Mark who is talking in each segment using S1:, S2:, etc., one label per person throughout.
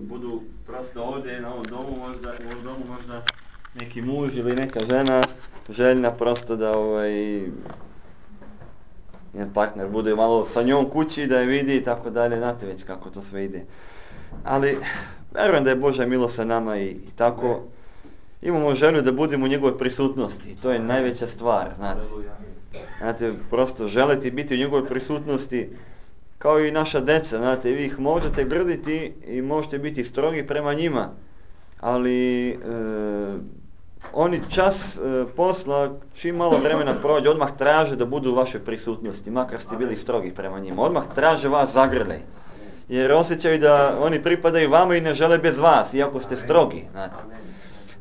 S1: budu prosto ovdje na ovom domu možda neki muž ili neka žena željna prosto da njen partner bude malo sa njom kući, da je vidi i tako dalje, znate već kako to sve ide. Ali vjerujem da je Božja milost sa nama i tako imamo želju da budemo u njegovoj prisutnosti i to je najveća stvar, znate, prosto želiti biti u njegovoj prisutnosti kao i naša deca, znate, vi ih možete grditi i možete biti strogi prema njima, ali oni čas posla, čim malo vremena prođe, odmah traže da budu u vašoj prisutnosti, makar ste bili strogi prema njima. Odmah traže vas zagrljaj, jer osjećaju da oni pripadaju vama i ne žele bez vas, iako ste strogi, znate.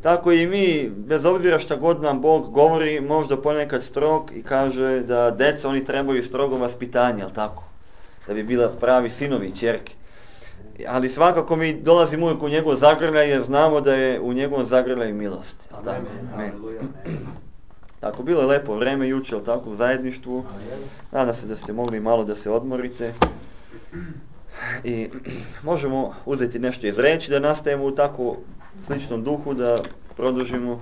S1: Tako i mi, bez obzira šta god nam Bog govori, možda ponekad strog i kaže da deca, oni trebaju strogo vaspitanje, jel tako? Da bi bila pravi sinovi i ćerke. Ali svakako mi dolazimo uvijek u njegov zagrljaj jer znamo da je u njegovom zagrljaju milost. Amen. Tako, bilo je lepo vreme jučer, tako, u zajedništvu. Nadam se da ste mogli malo da se odmorite. I možemo uzeti nešto iz reči, da nastavimo u tako sličnom duhu, da produžimo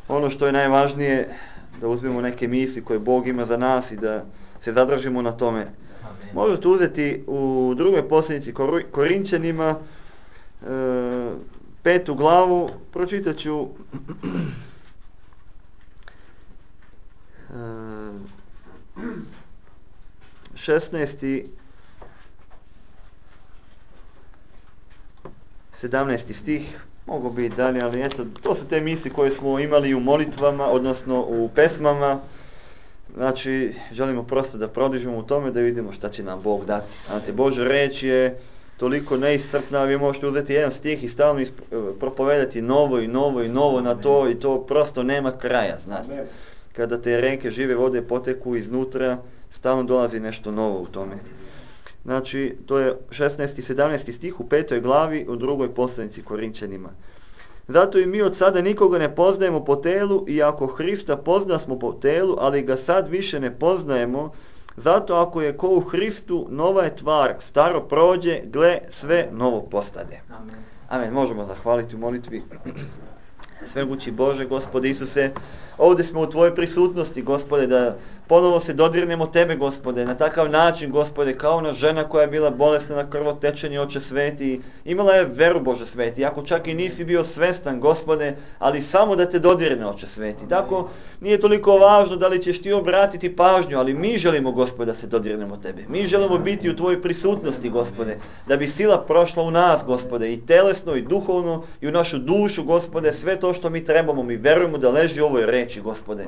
S1: ono što je najvažnije, da uzmemo neke misli koje Bog ima za nas i da se zadržimo na tome. Možete uzeti u drugoj poslanici Korinćanima 5. glavu, pročitat ću 16. 17. stih, mogu biti dalje, ali eto, to su te misli koje smo imali u molitvama, odnosno u pesmama. Znači, želimo prosto da prodižemo u tome, da vidimo šta će nam Bog dati. Znate, Božja reč je toliko neiscrpna, vi možete uzeti jedan stih i stalno propovedati novo i novo i novo na to i to prosto nema kraja, znate. Kada te reke žive vode poteku iznutra, stalno dolazi nešto novo u tome. Znači, to je 16. i 17. stih u 5. glavi u drugoj poslanici Korinćanima. Zato i mi od sada nikoga ne poznajemo po telu, iako Hrista pozna smo po telu, ali ga sad više ne poznajemo. Zato ako je ko u Hristu, nova je tvar, staro prođe, gle, sve novo postade. Amen. Amen. Možemo zahvaliti u molitvi. Svemogući Bože, Gospode Isuse, ovdje smo u Tvojoj prisutnosti, Gospode, da ponovo se dodirnemo Tebe, Gospode, na takav način, Gospode, kao ona žena koja je bila bolesna na krvotečenje, Oče sveti, imala je veru, Bože sveti, ako čak i nisi bio svestan, Gospode, ali samo da te dodirne, Oče sveti. Tako, nije toliko važno da li ćeš ti obratiti pažnju, ali mi želimo, Gospode, da se dodirnemo Tebe. Mi želimo biti u Tvojoj prisutnosti, Gospode, da bi sila prošla u nas, Gospode, i telesno, i duhovno, i u našu dušu, Gospode, sve to što mi trebamo, mi verujemo da leži u ovoj reči, Gospode.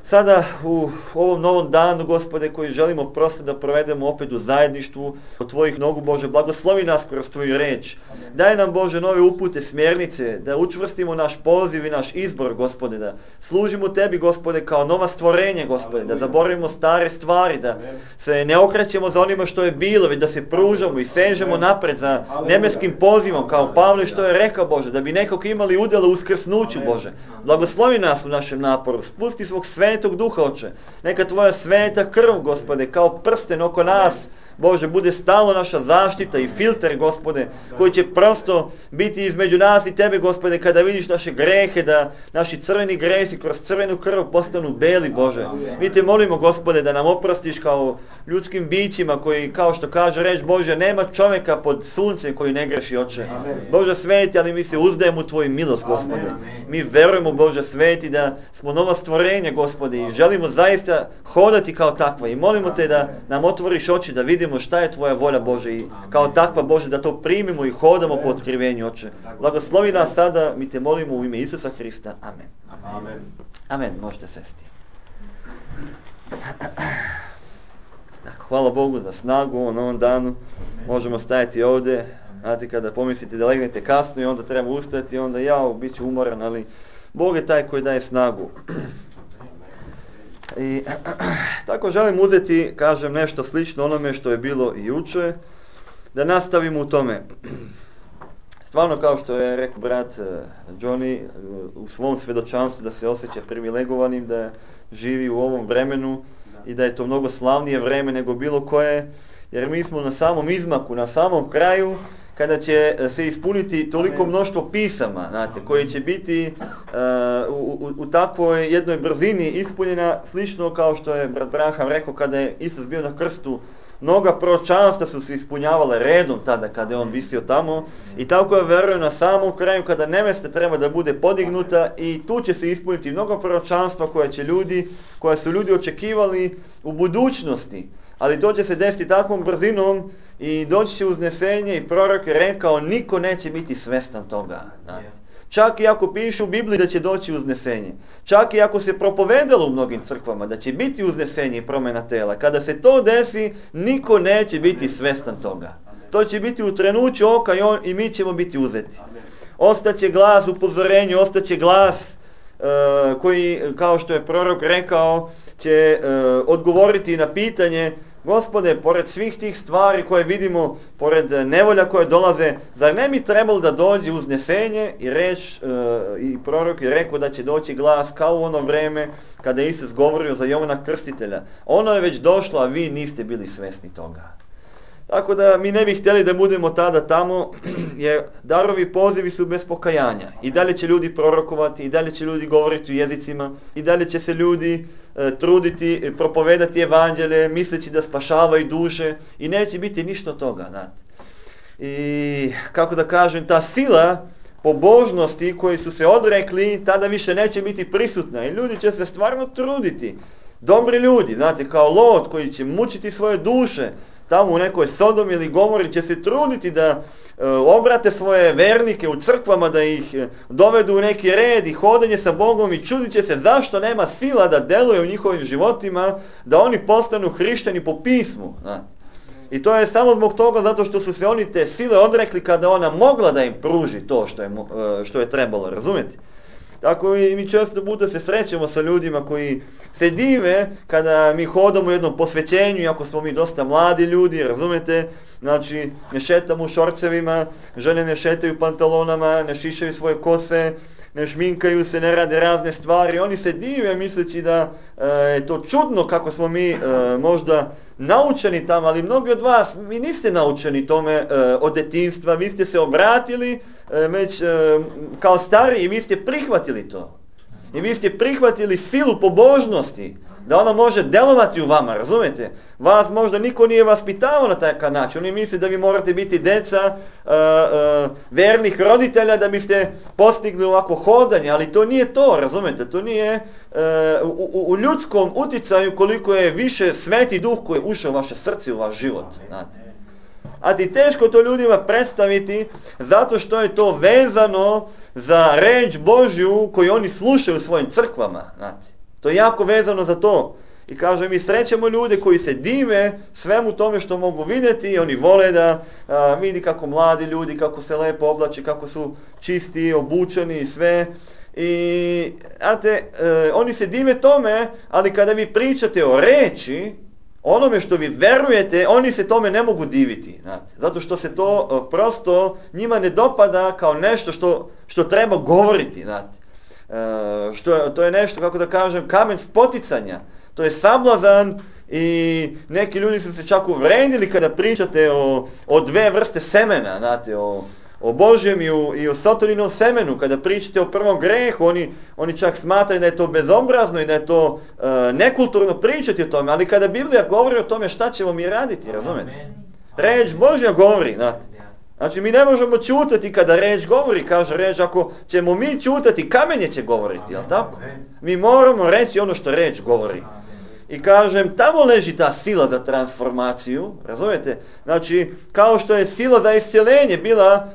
S1: Sada u ovom novom danu, Gospode, koji želimo prosto da provedemo opet u zajedništvu od Tvojih nogu, Bože, blagoslovi nas kroz Tvoju reč. Daj nam, Bože, nove upute, smjernice, da učvrstimo naš poziv i naš izbor, Gospode, da služimo Tebi, Gospode, kao nova stvorenje, Gospode, da zaboravimo stare stvari, da se ne okrećemo za onima što je bilo, već da se pružamo i sežemo napred za nebeskim pozivom, kao Pavle što je rekao, Bože, da bi nekog imali udjela u uskrsnuću, Bože. Blagoslovi nas u našem naporu, spusti svog Svetog Duha, Oče. Neka Tvoja sveta krv, Gospode, kao prsten oko nas, Bože, bude stalno naša zaštita i filter, Gospode, koji će prosto biti između nas i Tebe, Gospode, kada vidiš naše grehe, da naši crveni gresi kroz crvenu krv postanu beli, Bože. Mi Te molimo, Gospode, da nam oprostiš kao ljudskim bićima koji, kao što kaže reč Bože, nema čovjeka pod suncem koji ne greši, Oče. Bože sveti, ali mi se uzdajemo u Tvoju milost, Gospode. Mi verujemo, Bože sveti, da smo nova stvorenja, Gospode, i želimo zaista hodati kao takva i molimo Te da nam otvoriš oči, da vidimo šta je Tvoja volja, Bože, i kao takva, Bože, da to primimo i hodamo po otkrivenju, Oče. Blagoslovi nas sada, mi Te molimo u ime Isusa Hrista. Amen. Amen. Amen. Možete sesti. Hvala Bogu za snagu u ovom novom danu. Možemo stajati ovdje. Znate, kada pomislite da legnete kasno i onda treba ustati, onda bit ću umoran, ali Bog je taj koji daje snagu. I tako želim uzeti, kažem, nešto slično onome što je bilo i juče, da nastavimo u tome. Stvarno, kao što je rekao brat Johnny u svom svjedočanstvu, da se osjeća privilegovanim, da živi u ovom vremenu i da je to mnogo slavnije vreme nego bilo koje, jer mi smo na samom izmaku, na samom kraju, kada će se ispuniti toliko mnoštvo pisama, znate, koje će biti u takvoj jednoj brzini ispunjena, slično kao što je brat Branham rekao kada je Isus bio na krstu. Mnoga proročanstva su se ispunjavale redom tada kada je on visio tamo i tako je verujem na samom kraju kada nevesta treba da bude podignuta i tu će se ispuniti mnogo proročanstva koja su ljudi očekivali u budućnosti. Ali to će se desiti takvom brzinom i doći će uznesenje i prorok je rekao niko neće biti svestan toga. Čak i ako piše u Bibliji da će doći uznesenje. Čak i ako se propovedalo u mnogim crkvama da će biti uznesenje i promjena tela. Kada se to desi, niko neće biti svestan toga. To će biti u trenuću oka i mi ćemo biti uzeti. Ostaće glas upozorenja, ostaće glas koji, kao što je prorok rekao, će odgovoriti na pitanje Gospode, pored svih tih stvari koje vidimo, pored nevolja koje dolaze, zar ne bi trebalo da dođe uznesenje i i prorok je rekao da će doći glas kao u ono vreme kada je Isus govorio za Jovana Krstitelja. Ono je već došlo, a vi niste bili svesni toga. Tako da mi ne bi htjeli da budemo tada tamo, jer darovi pozivi su bez pokajanja. I dalje će ljudi prorokovati, i dalje će ljudi govoriti u jezicima, i dalje će se ljudi truditi, propovedati evanđelje, misleći da spašavaju duše i neće biti ništa od toga. Znate. I kako da kažem, ta sila pobožnosti koji su se odrekli, tada više neće biti prisutna i ljudi će se stvarno truditi. Dobri ljudi, znate, kao Lot koji će mučiti svoje duše, tamo u nekoj Sodomi ili Gomori će se truditi da obrate svoje vernike u crkvama, da ih dovedu u neki red i hodanje sa Bogom i čudit će se zašto nema sila da deluje u njihovim životima, da oni postanu hrišćani po pismu. I to je samo zbog toga zato što su se oni te sile odrekli kada ona mogla da im pruži to što je trebalo, razumjeti? Tako i mi često puta se srećemo sa ljudima koji se dive kada mi hodamo u jednom posvećenju, iako smo mi dosta mladi ljudi, razumete, znači ne šetamo u šorcevima, žene ne šetaju u pantalonama, ne šišaju svoje kose, ne šminkaju se, ne rade razne stvari. Oni se dive misleći da je to čudno kako smo mi možda naučeni tamo, ali mnogi od vas, vi niste naučeni tome od detinjstva, vi ste se obratili već kao stariji i vi ste prihvatili to. I vi ste prihvatili silu pobožnosti, da ona može delovati u vama, razumete? Vas možda niko nije vaspitavao na takav način. Oni misle da vi morate biti deca vernih roditelja da biste postigli ovako hodanje, ali to nije to, razumete? To nije u ljudskom uticaju koliko je više Sveti Duh koji je ušao u vaše srce, u vaš život, znate. A ti teško to ljudima predstaviti zato što je to vezano za reč Božju koju oni slušaju u svojim crkvama, znate. To je jako vezano za to. I kaže, mi srećemo ljude koji se dive svemu tome što mogu vidjeti i oni vole da vidi kako mladi ljudi, kako se lepo oblače, kako su čisti, obučeni i sve. I, znate, oni se dive tome, ali kada vi pričate o reči, onome što vi verujete, oni se tome ne mogu diviti, znate, zato što se to prosto njima ne dopada kao nešto što treba govoriti, znate. To je nešto, kako da kažem, kamen spoticanja, to je sablazan i neki ljudi su se čak uvredili kada pričate o dve vrste semena, znate, o Božjem i o Sataninom semenu, kada pričate o prvom grehu, oni čak smatraju da je to bezobrazno i da je to nekulturno pričati o tome, ali kada Biblija govori o tome šta ćemo mi raditi, razumete? Reč Božja govori, znate. Znači mi ne možemo ćutati kada reč govori, kaže reč, ako ćemo mi ćutati, kamenje će govoriti, jel tako? Mi moramo reći ono što reč govori. I kažem, tamo leži ta sila za transformaciju, razumijete? Znači, kao što je sila za iscjelenje bila,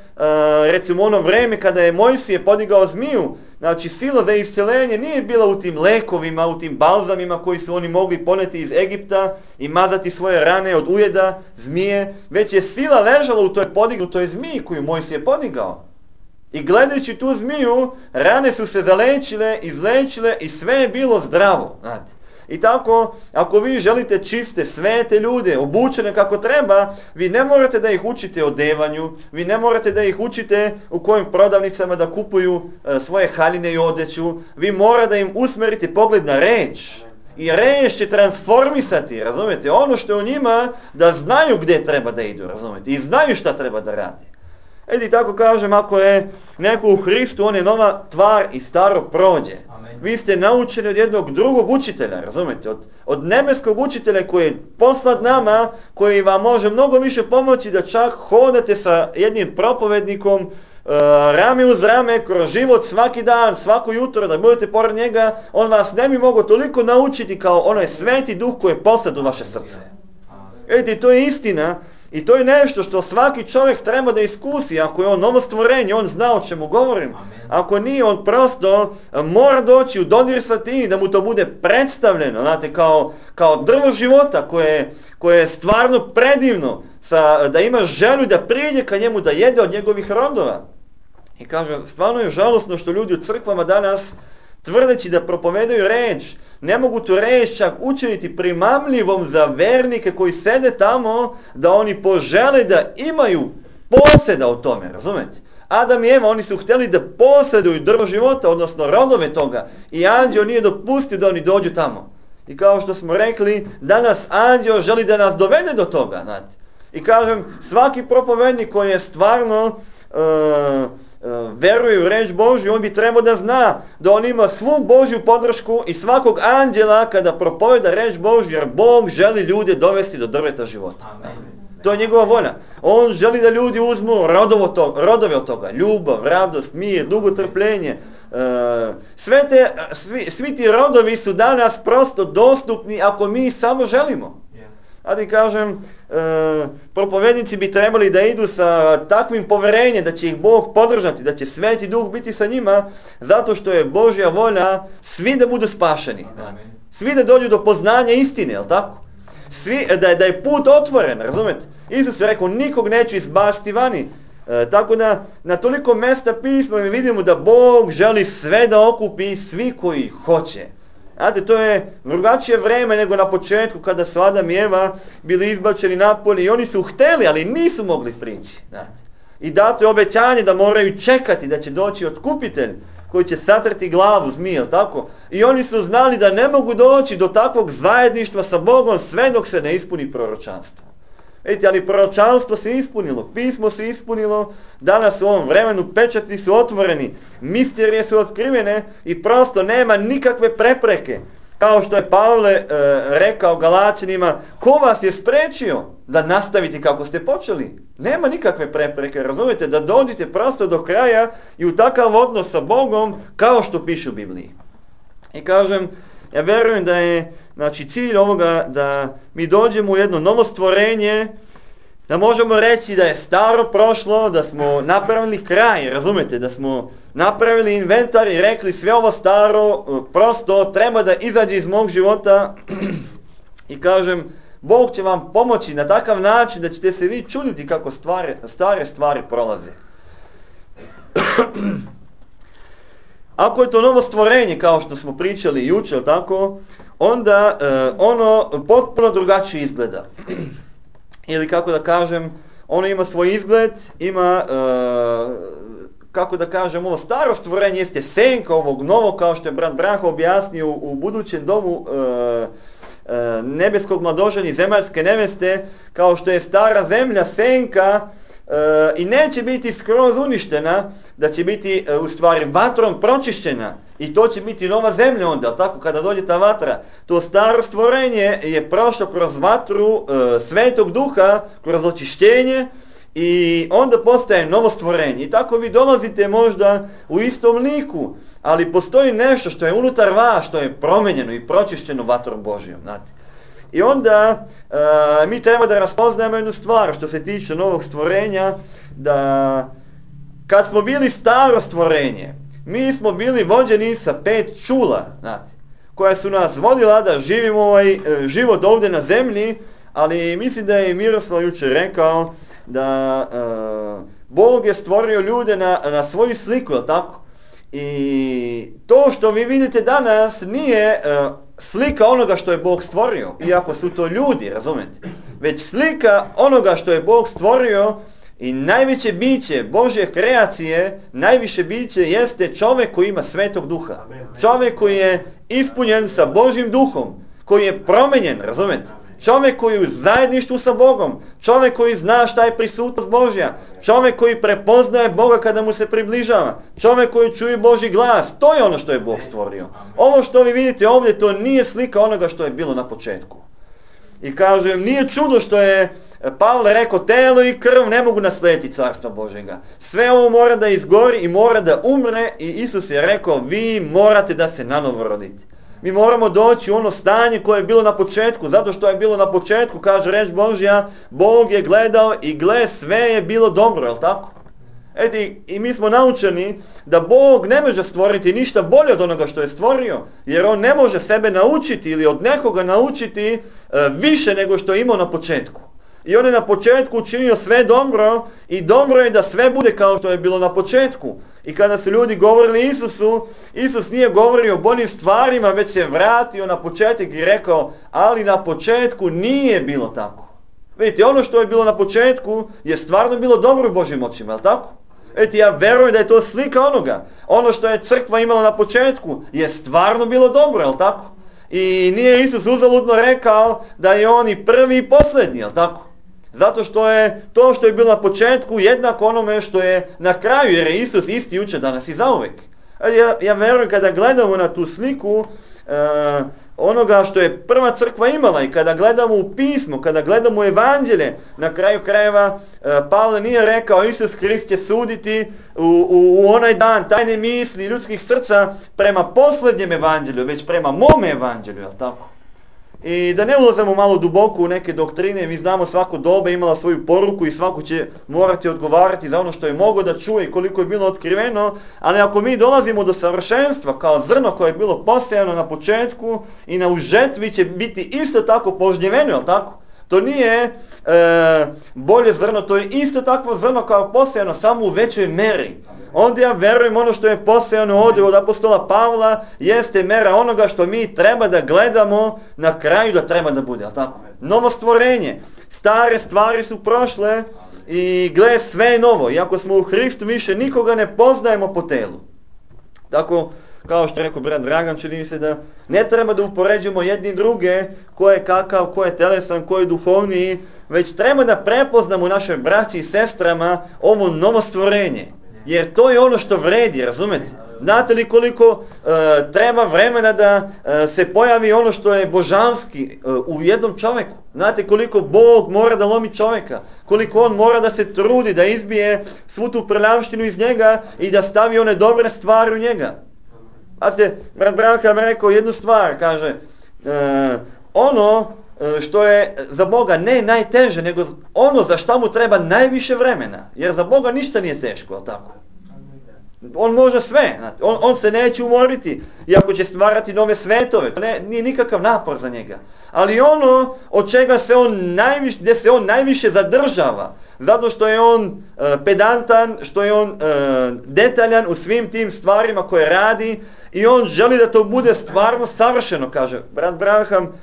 S1: recimo ono vreme kada je Mojsije podigao zmiju, znači sila za iscjelenje nije bila u tim lekovima, u tim balzamima koji su oni mogli poneti iz Egipta i mazati svoje rane od ujeda, zmije, već je sila ležala u toj podignutoj zmiji koju Mojsije podigao. I gledajući tu zmiju, rane su se zalečile, izlečile i sve je bilo zdravo, znate. I tako, ako vi želite čiste, svete ljude, obučene kako treba, vi ne morate da ih učite o devanju, vi ne morate da ih učite u kojim prodavnicama da kupuju svoje haljine i odeću, vi morate da im usmerite pogled na reč. I reč će transformisati, razumijete, ono što je u njima, da znaju gdje treba da idu, razumijete, i znaju šta treba da radi. Edi tako kažem, ako je neko u Hristu, on je nova tvar i staro prođe.
S2: Amen.
S1: Vi ste naučeni od jednog drugog učitelja, razumete? Od nebeskog učitelja koji je poslat nama, koji vam može mnogo više pomoći da čak hodate sa jednim propovednikom rame uz rame, kroz život svaki dan, svako jutro, da budete pored njega. On vas ne bi mogao toliko naučiti kao onaj sveti duh koji je poslat u vaše srce. Vidite, to je istina. I to je nešto što svaki čovjek treba da iskusi. Ako je on novo stvorenje, on zna o čemu govorim. Ako nije, on prosto mora doći u dodir sa tim, da mu to bude predstavljeno, znate, kao drvo života koje je stvarno predivno, da ima želju da priđe ka njemu, da jede od njegovih rodova. I kažem, stvarno je žalosno što ljudi u crkvama danas, tvrdeći da propovedaju reč, ne mogu tu reč čak učiniti primamljivom za vernike koji sede tamo, da oni požele da imaju posjeda o tome, razumete? Adam i Eva, oni su htjeli da posjeduju drvo života, odnosno rodove toga, i anđeo nije dopustio da oni dođu tamo. I kao što smo rekli, danas anđeo želi da nas dovede do toga, znate. I kažem, svaki propovednik koji je stvarno veruje u reč Božju, on bi trebao da zna da on ima svu Božju podršku i svakog anđela kada propoveda reč Božju, jer Bog želi ljude dovesti do drveta života.
S2: Amen.
S1: To je njegova volja. On želi da ljudi uzmu rodove od toga. Ljubav, radost, mir, dugotrpljenje. Svi ti rodovi su danas prosto dostupni ako mi samo želimo. A ti kažem, propovednici bi trebali da idu sa takvim poverenjem da će ih Bog podržati, da će Sveti Duh biti sa njima, zato što je Božja volja svi da budu spašeni. Svi da dođu do poznanja istine, jel tako? Svi, da je put otvoren, razumete? Isus je rekao, nikog neću izbaciti vani. Tako da na toliko mesta pisma mi vidimo da Bog želi sve da okupi, svi koji hoće. Znate, to je drugačije vreme nego na početku kada su Adam i Eva bili izbačeni napolje i oni su hteli, ali nisu mogli prići. Znate. I dato je obećanje da moraju čekati da će doći otkupitelj koji će satrti glavu zmije, tako? I oni su znali da ne mogu doći do takvog zajedništva sa Bogom sve dok se ne ispuni proročanstvo. Vidite, ali proročanstvo se ispunilo, pismo se ispunilo, danas u ovom vremenu pečati su otvoreni, misterije su otkrivene i prosto nema nikakve prepreke. Kao što je Pavle rekao Galaćanima, ko vas je spriječio da nastavite kako ste počeli? Nema nikakve prepreke, razumijete, da dođete prosto do kraja i u takav odnos sa Bogom kao što piše u Bibliji. I kažem, ja vjerujem da je cilj ovoga da mi dođemo u jedno novo stvorenje, da možemo reći da je staro prošlo, da smo napravili kraj, razumete, da smo napravili inventar i rekli sve ovo staro prosto treba da izađe iz mog života. I kažem, Bog će vam pomoći na takav način da ćete se vi čuditi kako stare stvari prolaze. Ako je to novo stvorenje, kao što smo pričali jučer, tako, onda ono potpuno drugačije izgleda. Ili kako da kažem, ono ima svoj izgled, ima, kako da kažem, ovo staro stvorenje jeste senka ovog novog, kao što je brat Branko objasnio u budućem domu nebeskog mladoženja i zemaljske neveste, kao što je stara zemlja senka i neće biti skroz uništena, da će biti u stvari vatrom pročišćena i to će biti nova zemlja onda, tako kada dođe ta vatra. To staro stvorenje je prošlo kroz vatru Svetog Duha, kroz očišćenje i onda postaje novo stvorenje. I tako vi dolazite možda u istom liku, ali postoji nešto što je unutar vas, što je promenjeno i pročišćeno vatrom Božijom, znate. I onda mi treba da raspoznajemo jednu stvar što se tiče novog stvorenja, da kad smo bili staro stvorenje, mi smo bili vođeni sa 5 čula, znate, koja su nas vodila da živimo ovaj život ovdje na zemlji, ali mislim da je Miroslav jučer rekao da Bog je stvorio ljude na svoju sliku, je li tako? I to što vi vidite danas nije slika onoga što je Bog stvorio, iako su to ljudi, razumete? Već slika onoga što je Bog stvorio i najveće biće Božje kreacije, najviše biće jeste čovjek koji ima Svetog Duha. Čovjek koji je ispunjen sa Božjim Duhom, koji je promenjen, razumete? čovjek koji je u zajedništvu sa Bogom, čovjek koji zna šta je prisutnost Božja, čovjek koji prepoznaje Boga kada mu se približava, čovjek koji čuje Božji glas, to je ono što je Bog stvorio. Ovo što vi vidite ovdje, to nije slika onoga što je bilo na početku. I kažem, nije čudo što je Pavle rekao, telo i krv ne mogu naslijediti carstva Božjega. Sve ovo mora da izgori i mora da umre i Isus je rekao, vi morate da se nanovo rodite. Mi moramo doći u ono stanje koje je bilo na početku, zato što je bilo na početku, kaže reč Božja, Bog je gledao i gle, sve je bilo dobro, je li tako? I mi smo naučeni da Bog ne može stvoriti ništa bolje od onoga što je stvorio, jer on ne može sebe naučiti ili od nekoga naučiti više nego što je imao na početku. I on je na početku učinio sve dobro i dobro je da sve bude kao što je bilo na početku. I kada su ljudi govorili Isusu, Isus nije govorio o boljim stvarima, već se vratio na početak i rekao, ali na početku nije bilo tako. Vidite, ono što je bilo na početku je stvarno bilo dobro u Božjim očima, je li tako? Vidite, ja verujem da je to slika onoga. Ono što je crkva imala na početku je stvarno bilo dobro, je li tako? I nije Isus uzaludno rekao da je on i prvi i posljednji, je li tako? Zato što je to što je bilo na početku jednako onome što je na kraju, jer je Isus isti jučer, danas i zauvek. Ja verujem kada gledamo na tu sliku onoga što je prva crkva imala i kada gledamo u pismo, kada gledamo u evanđelje, na kraju krajeva Pavle nije rekao Isus Hrist će suditi u onaj dan tajne misli ljudskih srca prema posljednjem evanđelju, već prema mome evanđelju, jel tako? I da ne ulazimo malo duboko u neke doktrine, mi znamo svako doba imala svoju poruku i svako će morati odgovarati za ono što je mogao da čuje i koliko je bilo otkriveno, ali ako mi dolazimo do savršenstva kao zrno koje je bilo posejano na početku i na užetvi će biti isto tako požnjeveno, jel tako? To nije bolje zrno, to je isto takvo zrno kao posejano, samo u većoj meri. Onda ja verujem ono što je posejano ovdje od apostola Pavla jeste mera onoga što mi treba da gledamo na kraju da treba da bude, jel tako? Novo stvorenje. Stare stvari su prošle i gle sve je novo. Iako smo u Hristu više nikoga ne poznajemo po telu. Tako, kao što je rekao brat Dragan, čini mi se da ne treba da upoređujemo jedni druge ko je kakav, ko je telesan, ko je duhovniji, već treba da prepoznamo naše braći i sestrama ovo novo stvorenje. Jer to je ono što vredi, razumete? Znate li koliko treba vremena da se pojavi ono što je božanski u jednom čovjeku? Znate koliko Bog mora da lomi čovjeka? Koliko on mora da se trudi da izbije svu tu prljavštinu iz njega i da stavi one dobre stvari u njega? Znate, brat Branham rekao jednu stvar, kaže, ono što je za Boga ne najteže, nego ono za šta mu treba najviše vremena. Jer za Boga ništa nije teško, ali tako? On može sve, znate. On se neće umoriti, iako će stvarati nove svetove. To nije nikakav napor za njega. Ali ono od čega se on najviše, gdje se on najviše zadržava, zato što je on pedantan, što je on detaljan u svim tim stvarima koje radi i on želi da to bude stvarno savršeno, kaže brat Branham.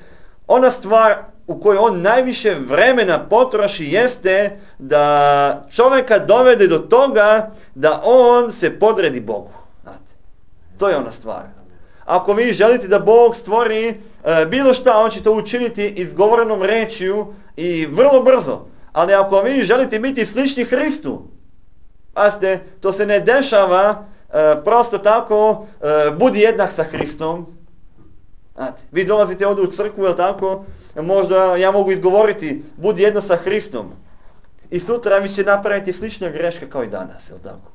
S1: Ona stvar u kojoj on najviše vremena potroši jeste da čovjeka dovede do toga da on se podredi Bogu. Znate, to je ona stvar. Ako vi želite da Bog stvori bilo šta, on će to učiniti izgovorenom rečju i vrlo brzo. Ali ako vi želite biti slični Hristu, pazite, to se ne dešava prosto tako, budi jednak sa Hristom. Znate, vi dolazite ovdje u crkvu, jel tako? Možda ja mogu izgovoriti, budi jedno sa Hristom. I sutra vi će napraviti slične greške kao i danas, jel tako?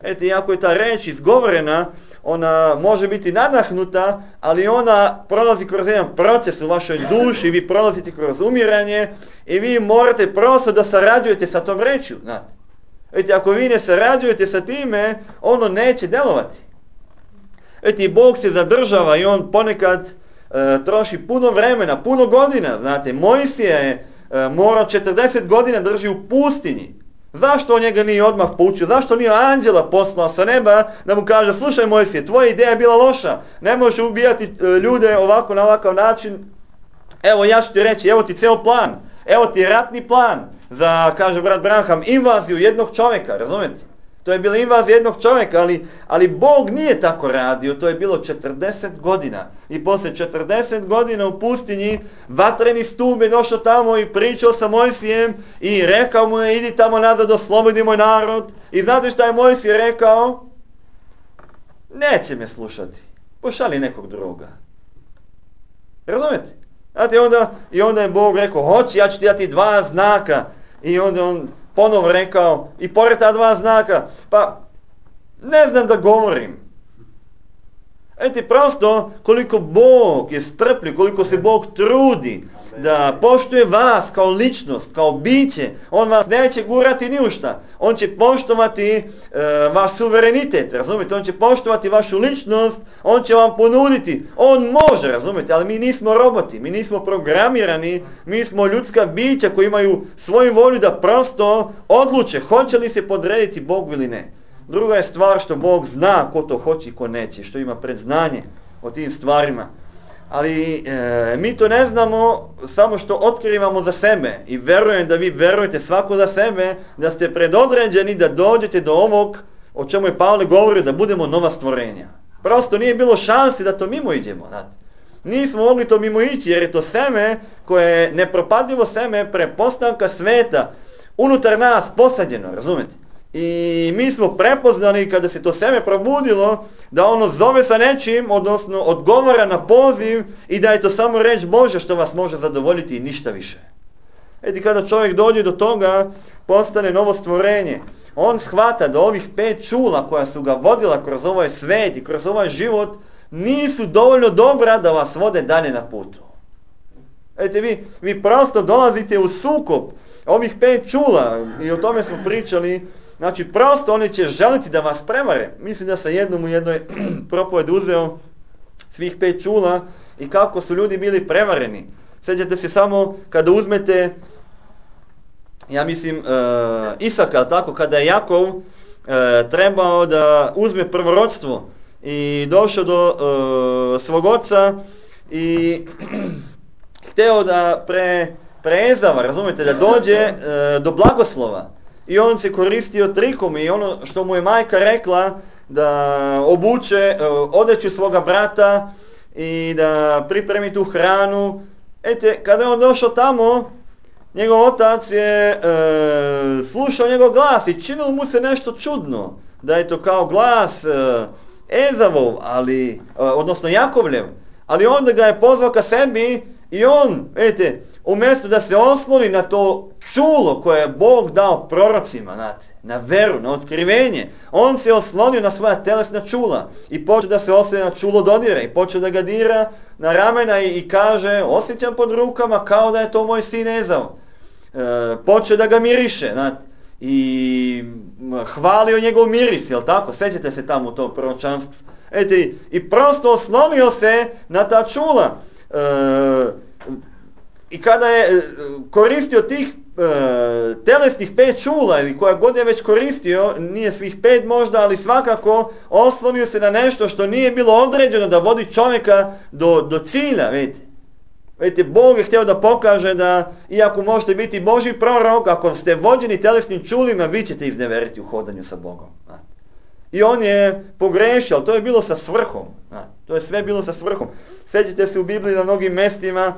S1: Eto, iako je ta reč izgovorena, ona može biti nadahnuta, ali ona prolazi kroz jedan proces u vašoj duši, vi prolazite kroz umiranje i vi morate prosto da sarađujete sa tom rečju, znate. Eto, ako vi ne sarađujete sa time, ono neće delovati. Eto, i Bog se zadržava i on ponekad troši puno vremena, puno godina, znate. Mojsija je morao 40 godina drži u pustinji. Zašto on njega nije odmah poučio? Zašto nije anđela poslao sa neba da mu kaže, slušaj Mojsije, tvoja ideja je bila loša, ne možeš ubijati ljude ovako na ovakav način. Evo ja ću ti reći, evo ti ceo plan, evo ti ratni plan za, kaže brat Branham, invaziju jednog čovjeka, razumijete? To je bila invazija jednog čovjeka, ali Bog nije tako radio, to je bilo 40 godina. I poslije 40 godina u pustinji, vatreni stup je došao tamo i pričao sa Mojsijem i rekao mu je, idi tamo nazad, oslobodi moj narod. I znate šta je Mojsije rekao? Neće me slušati, pošalji nekog druga. Razumete? Znate, onda je Bog rekao, hoći, ja ću ti dati 2 znaka. I onda on ponovo rekao, i pored ta 2 znaka, pa ne znam da govorim. Prosto koliko Bog je strpljiv, koliko se Bog trudi da poštuje vas kao ličnost, kao biće, on vas neće gurati ni u šta. On će poštovati vaš suverenitet, razumijete? On će poštovati vašu ličnost, on će vam ponuditi. On može, razumijete, ali mi nismo roboti, mi nismo programirani, mi smo ljudska bića koji imaju svoju volju da prosto odluče hoće li se podrediti Bogu ili ne. Druga je stvar što Bog zna ko to hoće i ko neće, što ima predznanje o tim stvarima. Ali mi to ne znamo samo što otkrivamo za sebe i verujem da vi verujete svako za sebe, da ste predodređeni da dođete do ovog o čemu je Pavle govorio, da budemo nova stvorenja. Prosto nije bilo šansi da to mimo iđemo. Znate. Nismo mogli to mimo ići jer je to seme koje je nepropadljivo seme prepostanka sveta unutar nas posađeno, razumete? I mi smo prepoznali kada se to seme probudilo da ono zove sa nečim, odnosno odgovara na poziv i da je to samo reč Božja što vas može zadovoljiti i ništa više. Kada čovjek dođe do toga, postane novo stvorenje. On shvata da ovih 5 čula koja su ga vodila kroz ovaj svet i kroz ovaj život nisu dovoljno dobra da vas vode dalje na putu. Vi prosto dolazite u sukob ovih 5 čula i o tome smo pričali. Znači, prosto oni će želiti da vas prevare. Mislim da sam jednom u jednoj propovedi uzeo svih 5 čula i kako su ljudi bili prevareni. Sjećate se samo kada uzmete, ja mislim, Isaka, tako, kada je Jakov trebao da uzme prvorodstvo i došao do svog oca i hteo da preezava, razumijete, da dođe do blagoslova. I on se koristio trikom i ono što mu je majka rekla da obuče odeću svoga brata i da pripremi tu hranu. Kada je on došao tamo, njegov otac je slušao njegov glas i činilo mu se nešto čudno. Da je to kao glas Ezavov, odnosno Jakovljev. Ali onda ga je pozvao ka sebi i on, umjesto da se osloni na to čulo koje je Bog dao prorocima, znate, na veru, na otkrivenje, on se oslonio na svoja telesna čula i počeo da se osloni na čulo dodira i počeo da ga dira na ramena i kaže, osjećam pod rukama kao da je to moj sin Ezav. Počeo da ga miriše, znate, i hvalio njegov miris, jel tako? Sjećate se tamo u tom proročanstvu. I prosto oslonio se na ta čula. I kada je koristio tih telesnih 5 čula ili koja god je već koristio, nije svih 5 možda, ali svakako oslonio se na nešto što nije bilo određeno da vodi čovjeka do cilja, vidite. Bog je htio da pokaže da, iako možete biti Božji prorok, ako ste vođeni telesnim čulima, vi ćete izneveriti u hodanju sa Bogom. I on je pogrešio, ali to je bilo sa svrhom. To je sve bilo sa svrhom. Sjećate se u Bibliji na mnogim mjestima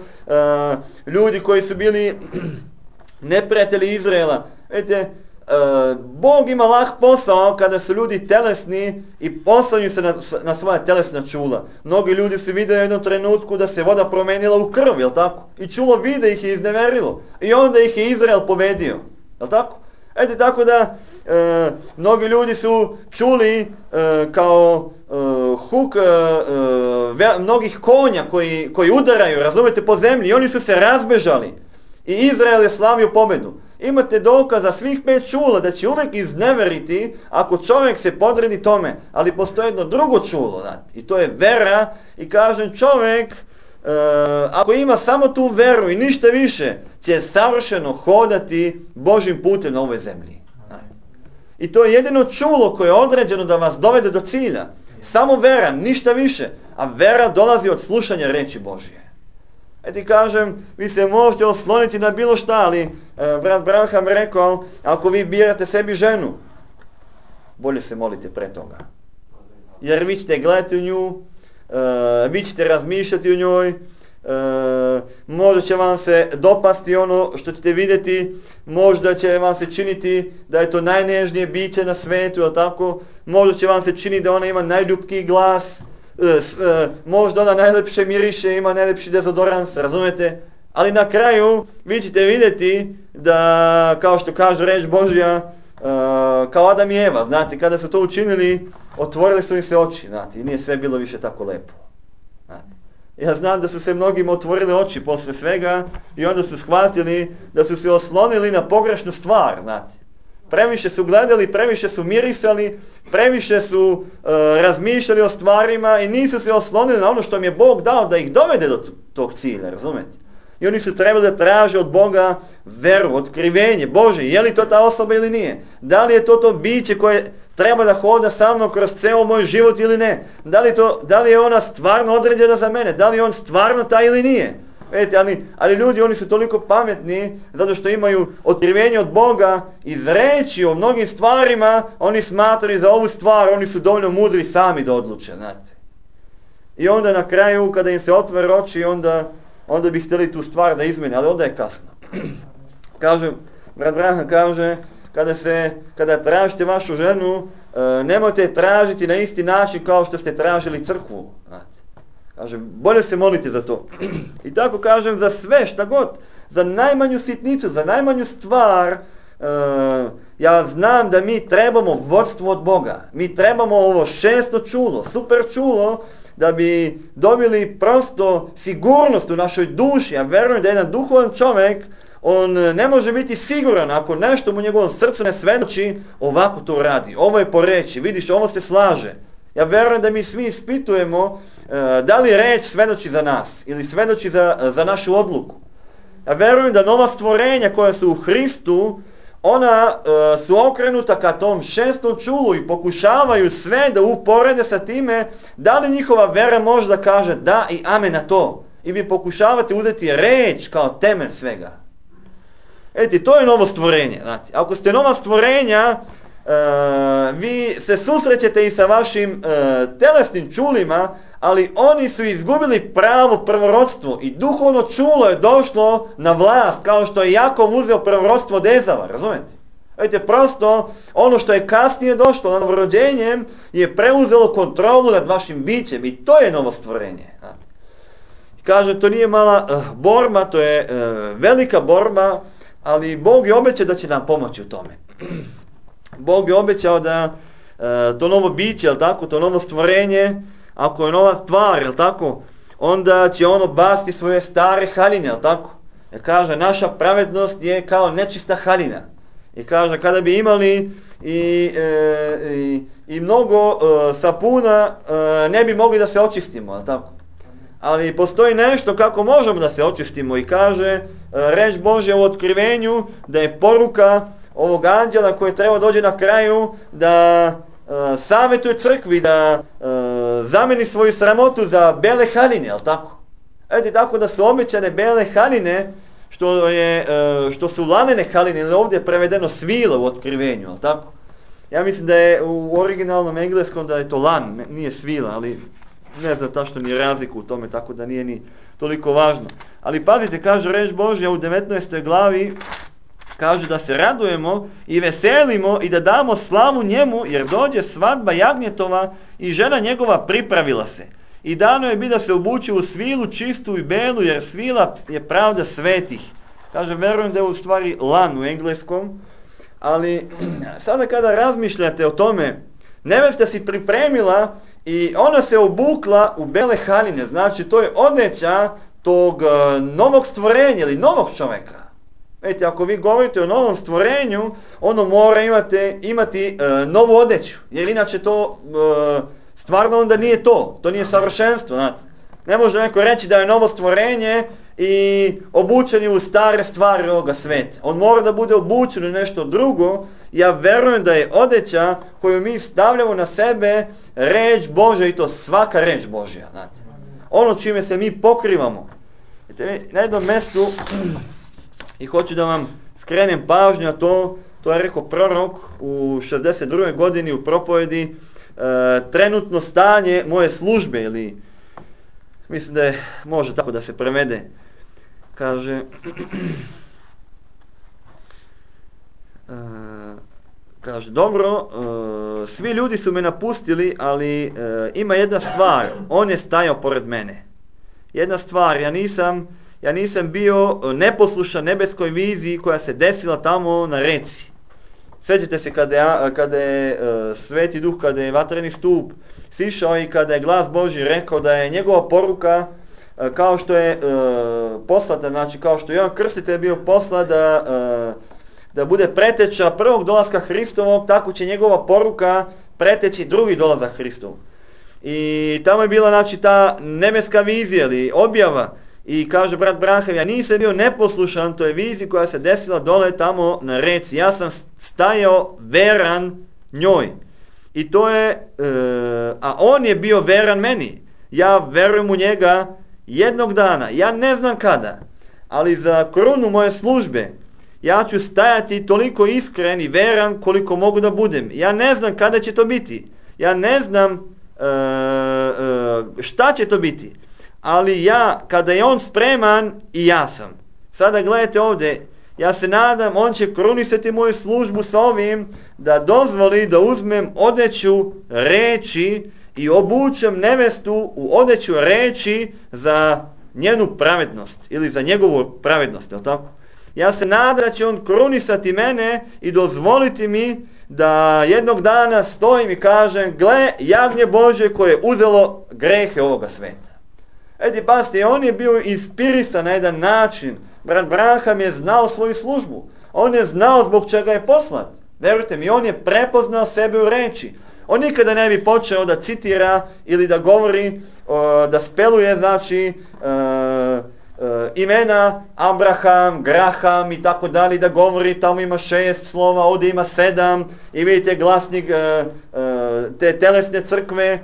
S1: ljudi koji su bili neprijatelji Izraela. Vidite, Bog ima lah posao kada su ljudi telesni i poslanju se na svoja telesna čula. Mnogi ljudi su vidjeli u jednom trenutku da se voda promenila u krv, jel tako? I čulo vide ih je izneverilo. I onda ih je Izrael povedio, jel tako? Tako da mnogi ljudi su čuli kao huk mnogih konja koji udaraju, razumete, po zemlji i oni su se razbežali i Izrael je slavio pobjedu. Imate dokaza svih 5 čula da će uvijek izneveriti ako čovjek se podredi tome, ali postoji jedno drugo čulo, i to je vera i kažem čovjek ako ima samo tu veru i ništa više će savršeno hodati Božjim putem na ovoj zemlji. I to je jedino čulo koje je određeno da vas dovede do cilja. Samo vera, ništa više. A vera dolazi od slušanja reči Božje. Kažem, vi se možete osloniti na bilo šta, ali brat Branham rekao, ako vi birate sebi ženu, bolje se molite pre toga. Jer vi ćete gledati u nju, vi ćete razmišljati u njoj, možda će vam se dopasti ono što ćete vidjeti, možda će vam se činiti da je to najnežnije biće na svijetu, jel tako? Možda će vam se činiti da ona ima najljubkiji glas, možda ona najlepše miriše, ima najlepši dezodorans, razumete? Ali na kraju vi ćete vidjeti da, kao što kaže reč Božja, kao Adam i Eva, znate, kada su to učinili, otvorili su im se oči, znate, i nije sve bilo više tako lepo. Znate. Ja znam da su se mnogima otvorili oči posle svega i onda su shvatili da su se oslonili na pogrešnu stvar, znate. Previše su gledali, previše su mirisali, previše su razmišljali o stvarima i nisu se oslonili na ono što im je Bog dao da ih dovede do tog cilja, razumete? I oni su trebali da traže od Boga veru, otkrivenje, Bože, je li to ta osoba ili nije? Da li je to biće koje treba da hoda sa mnom kroz ceo moj život ili ne? Da li je ona stvarno određena za mene? Da li je on stvarno taj ili nije? Vidite, ali ljudi, oni su toliko pametni zato što imaju otkrivenje od Boga iz reči o mnogim stvarima, oni smatraju za ovu stvar, oni su dovoljno mudri sami da odluče, znate. I onda na kraju, kada im se otvore oči, onda bi htjeli tu stvar da izmene, ali onda je kasno. Kaže, brat Branham kaže, kada tražite vašu ženu, nemojte je tražiti na isti način kao što ste tražili crkvu. Znate. Kaže, bolje se molite za to. I tako kažem, za sve, šta god, za najmanju sitnicu, za najmanju stvar, ja znam da mi trebamo vodstvo od Boga. Mi trebamo ovo 6. čulo, super čulo, da bi dobili prosto sigurnost u našoj duši. Ja verujem da jedan duhovan čovjek, on ne može biti siguran ako nešto mu njegovom srcu ne svedoči, ovako to radi, ovo je po reči, vidiš, ovo se slaže. Ja verujem da mi svi ispitujemo da li reč svedoči za nas ili svedoči za našu odluku. Ja verujem da nova stvorenja koja su u Hristu, ona su okrenuta ka tom 6. čulu i pokušavaju sve da uporede sa time da li njihova vera može da kaže da i amen na to. I vi pokušavate uzeti reč kao temelj svega. Eto, to je novo stvorenje. Znate, ako ste nova stvorenja, vi se susrećete i sa vašim telesnim čulima, ali oni su izgubili pravo prvorodstvo i duhovno čulo je došlo na vlast, kao što je Jakov uzeo prvorodstvo od Ezava, razumete? Vidite, prosto ono što je kasnije došlo na novorođenjem je preuzelo kontrolu nad vašim bićem i to je novo stvorenje. Kaže, to nije mala borba, to je velika borba, ali Bog je obećao da će nam pomoći u tome. Bog je obećao da to novo biće, jel tako, to novo stvorenje, ako je nova stvar, jel tako, onda će ono basti svoje stare haljine, jel tako? Jer kaže, naša pravednost je kao nečista haljina. I kaže, kada bi imali i mnogo sapuna, ne bi mogli da se očistimo, jel tako? Ali postoji nešto kako možemo da se očistimo i kaže, reč Božja u otkrivenju, da je poruka ovog anđela koji treba dođe na kraju, da savjetuje crkvi da zameni svoju sramotu za bele haljine, jel tako? Eto, tako da su obećane bele haljine, što su lanene haljine, ili ovdje je prevedeno svila u otkrivenju, jel tako? Ja mislim da je u originalnom engleskom da je to lan, nije svila, ali ne znam tačno ni razliku u tome, tako da nije ni toliko važno. Ali pazite, kaže reč Božja u 19. glavi, kaže da se radujemo i veselimo i da damo slavu njemu, jer dođe svadba jagnjetova i žena njegova pripravila se. I dano je bi da se obuče u svilu čistu i belu, jer svila je pravda svetih. Kaže, verujem da je u stvari lan u engleskom, ali sada kada razmišljate o tome, nevesta si pripremila i ona se obukla u bele haljine, znači to je odjeća tog novog stvorenja ili novog čovjeka. Vidite, ako vi govorite o novom stvorenju, ono mora imati novu odjeću, jer inače to stvarno onda nije to nije savršenstvo, znate. Ne može neko reći da je novo stvorenje i obučen je u stare stvari ovoga sveta. On mora da bude obučen u nešto drugo. Ja verujem da je odjeća koju mi stavljamo na sebe reč Božja i to svaka reč Božja, znate. Ono čime se mi pokrivamo. Na jednom mjestu i hoću da vam skrenem pažnju na to, To je rekao prorok u 62. godini u propovedi, trenutno stanje moje službe, ili mislim da je, može tako da se prevede. Kaže, dobro, svi ljudi su me napustili, ali ima jedna stvar, on je stajao pored mene. Jedna stvar, ja nisam bio neposlušan nebeskoj viziji koja se desila tamo na reci. Sjećate se kada je Sveti Duh, kada je vatreni stup sišao i kada je glas Božji rekao da je njegova poruka kao što je poslata, znači kao što je Jovan Krstitelj bio poslat da bude preteča prvog dolaska Hristovog, tako će njegova poruka preteći drugi dolazak Hristov. I tamo je bila znači ta nebeska vizija ili objava. I kaže brat Branham, ja nisam bio neposlušan toj viziji koja se desila dole tamo na reci. Ja sam stajao veran njoj. I to je, a on je bio veran meni. Ja verujem u njega jednog dana. Ja ne znam kada, ali za krunu moje službe ja ću stajati toliko iskren i veran koliko mogu da budem. Ja ne znam kada će to biti. Ja ne znam šta će to biti. Ali ja, kada je on spreman, i ja sam. Sada gledajte ovdje, ja se nadam, on će krunisati moju službu sa ovim, da dozvoli da uzmem odeću reči i obučem nevestu u odeću reči za njenu pravednost, ili za njegovu pravednost, je li tako? Ja se nadam da će on krunisati mene i dozvoliti mi da jednog dana stojim i kažem, gle, jagnje Božje koje je uzelo grehe ovoga sveta. Pazite, on je bio inspirisan na jedan način. Brat Branham je znao svoju službu. On je znao zbog čega je poslat. Verujte mi, on je prepoznao sebe u reči. On nikada ne bi počeo da citira ili da govori, da speluje, znači, imena Abraham, Graham i tako dalje, da govori, tamo ima 6 slova, ovdje ima 7 i vidite glasnik te telesne crkve,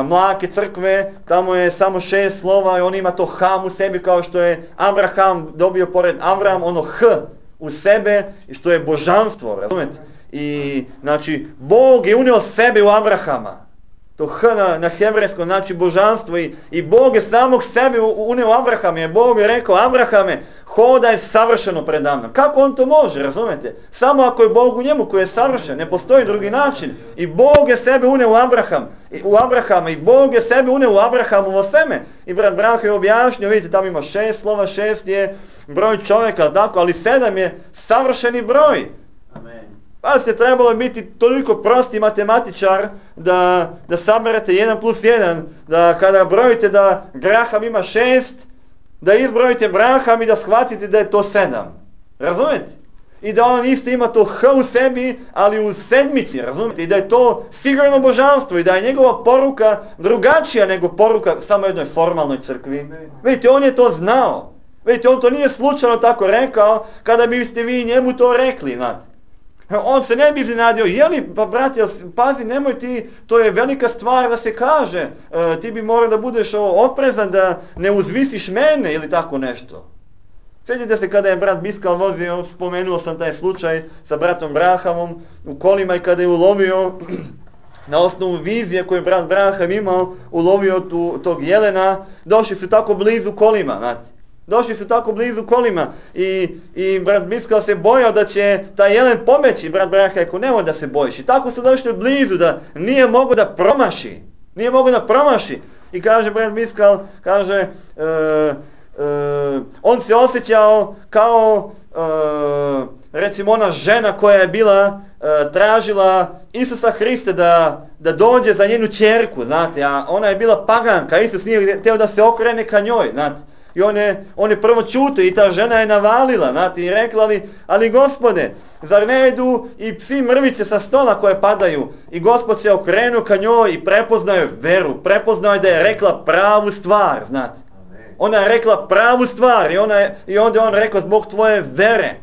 S1: mlake crkve, tamo je samo 6 slova i on ima to Ham u sebi kao što je Abraham dobio pored Avram, ono H u sebe, što je božanstvo, razumete? I znači Bog je unio sebe u Abrahama. To H na hebrejskom znači božanstvo i Bog je samog sebe unio u Abrahama. I Bog je rekao, Abrahame, hodaj savršeno pred mnom. Kako on to može, razumete? Samo ako je Bog u njemu koji je savršen, ne postoji drugi način. I Bog je sebe unio u Abrahama i Bog je sebe unio u Abrahamovo seme. I brat Branham je objašnjio, vidite, tamo ima 6 slova, 6 je broj čovjeka, tako, ali 7 je savršeni broj. Pa se trebalo biti toliko prosti matematičar da saberete 1 plus 1, da kada brojite da Graham ima 6, da izbrojite Branham i da shvatite da je to 7. Razumete? I da on isto ima to H u sebi, ali u sedmici, razumete? I da je to sigurno božanstvo i da je njegova poruka drugačija nego poruka samo jednoj formalnoj crkvi. Vidite, on je to znao. Vidite, on to nije slučajno tako rekao kada biste vi njemu to rekli, znate. On se ne bi iznenadio, jeli, pa brate, pazi, nemoj ti, to je velika stvar da se kaže, ti bi morao da budeš oprezan da ne uzvisiš mene ili tako nešto. Sjećate se kada je brat Biskal vozio, spomenuo sam taj slučaj sa bratom Brahamom u kolima i kada je ulovio, na osnovu vizije koju je brat Braham imao, ulovio tog jelena, došli su tako blizu kolima, znate. Došli su tako blizu kolima i brat Biskal se bojao da će taj jelen pobeći. Brat Branham rekao, nemoj da se bojiš. I tako su došli blizu da nije mogao da promaši. Nije mogao da promaši. I kaže brat Biskal, kaže, on se osjećao kao, recimo ona žena koja je bila, tražila Isusa Hrista da dođe za njenu ćerku, znate, a ona je bila paganka, Isus nije htio da se okrene ka njoj, znate. I on je prvo čutio i ta žena je navalila, znate, i rekla ali Gospode, zar ne idu i psi mrvice sa stola koje padaju? I Gospod se okrenuo ka njoj i prepoznao je veru, prepoznao je da je rekla pravu stvar, znate. Ona je rekla pravu stvar i onda on rekao zbog tvoje vere,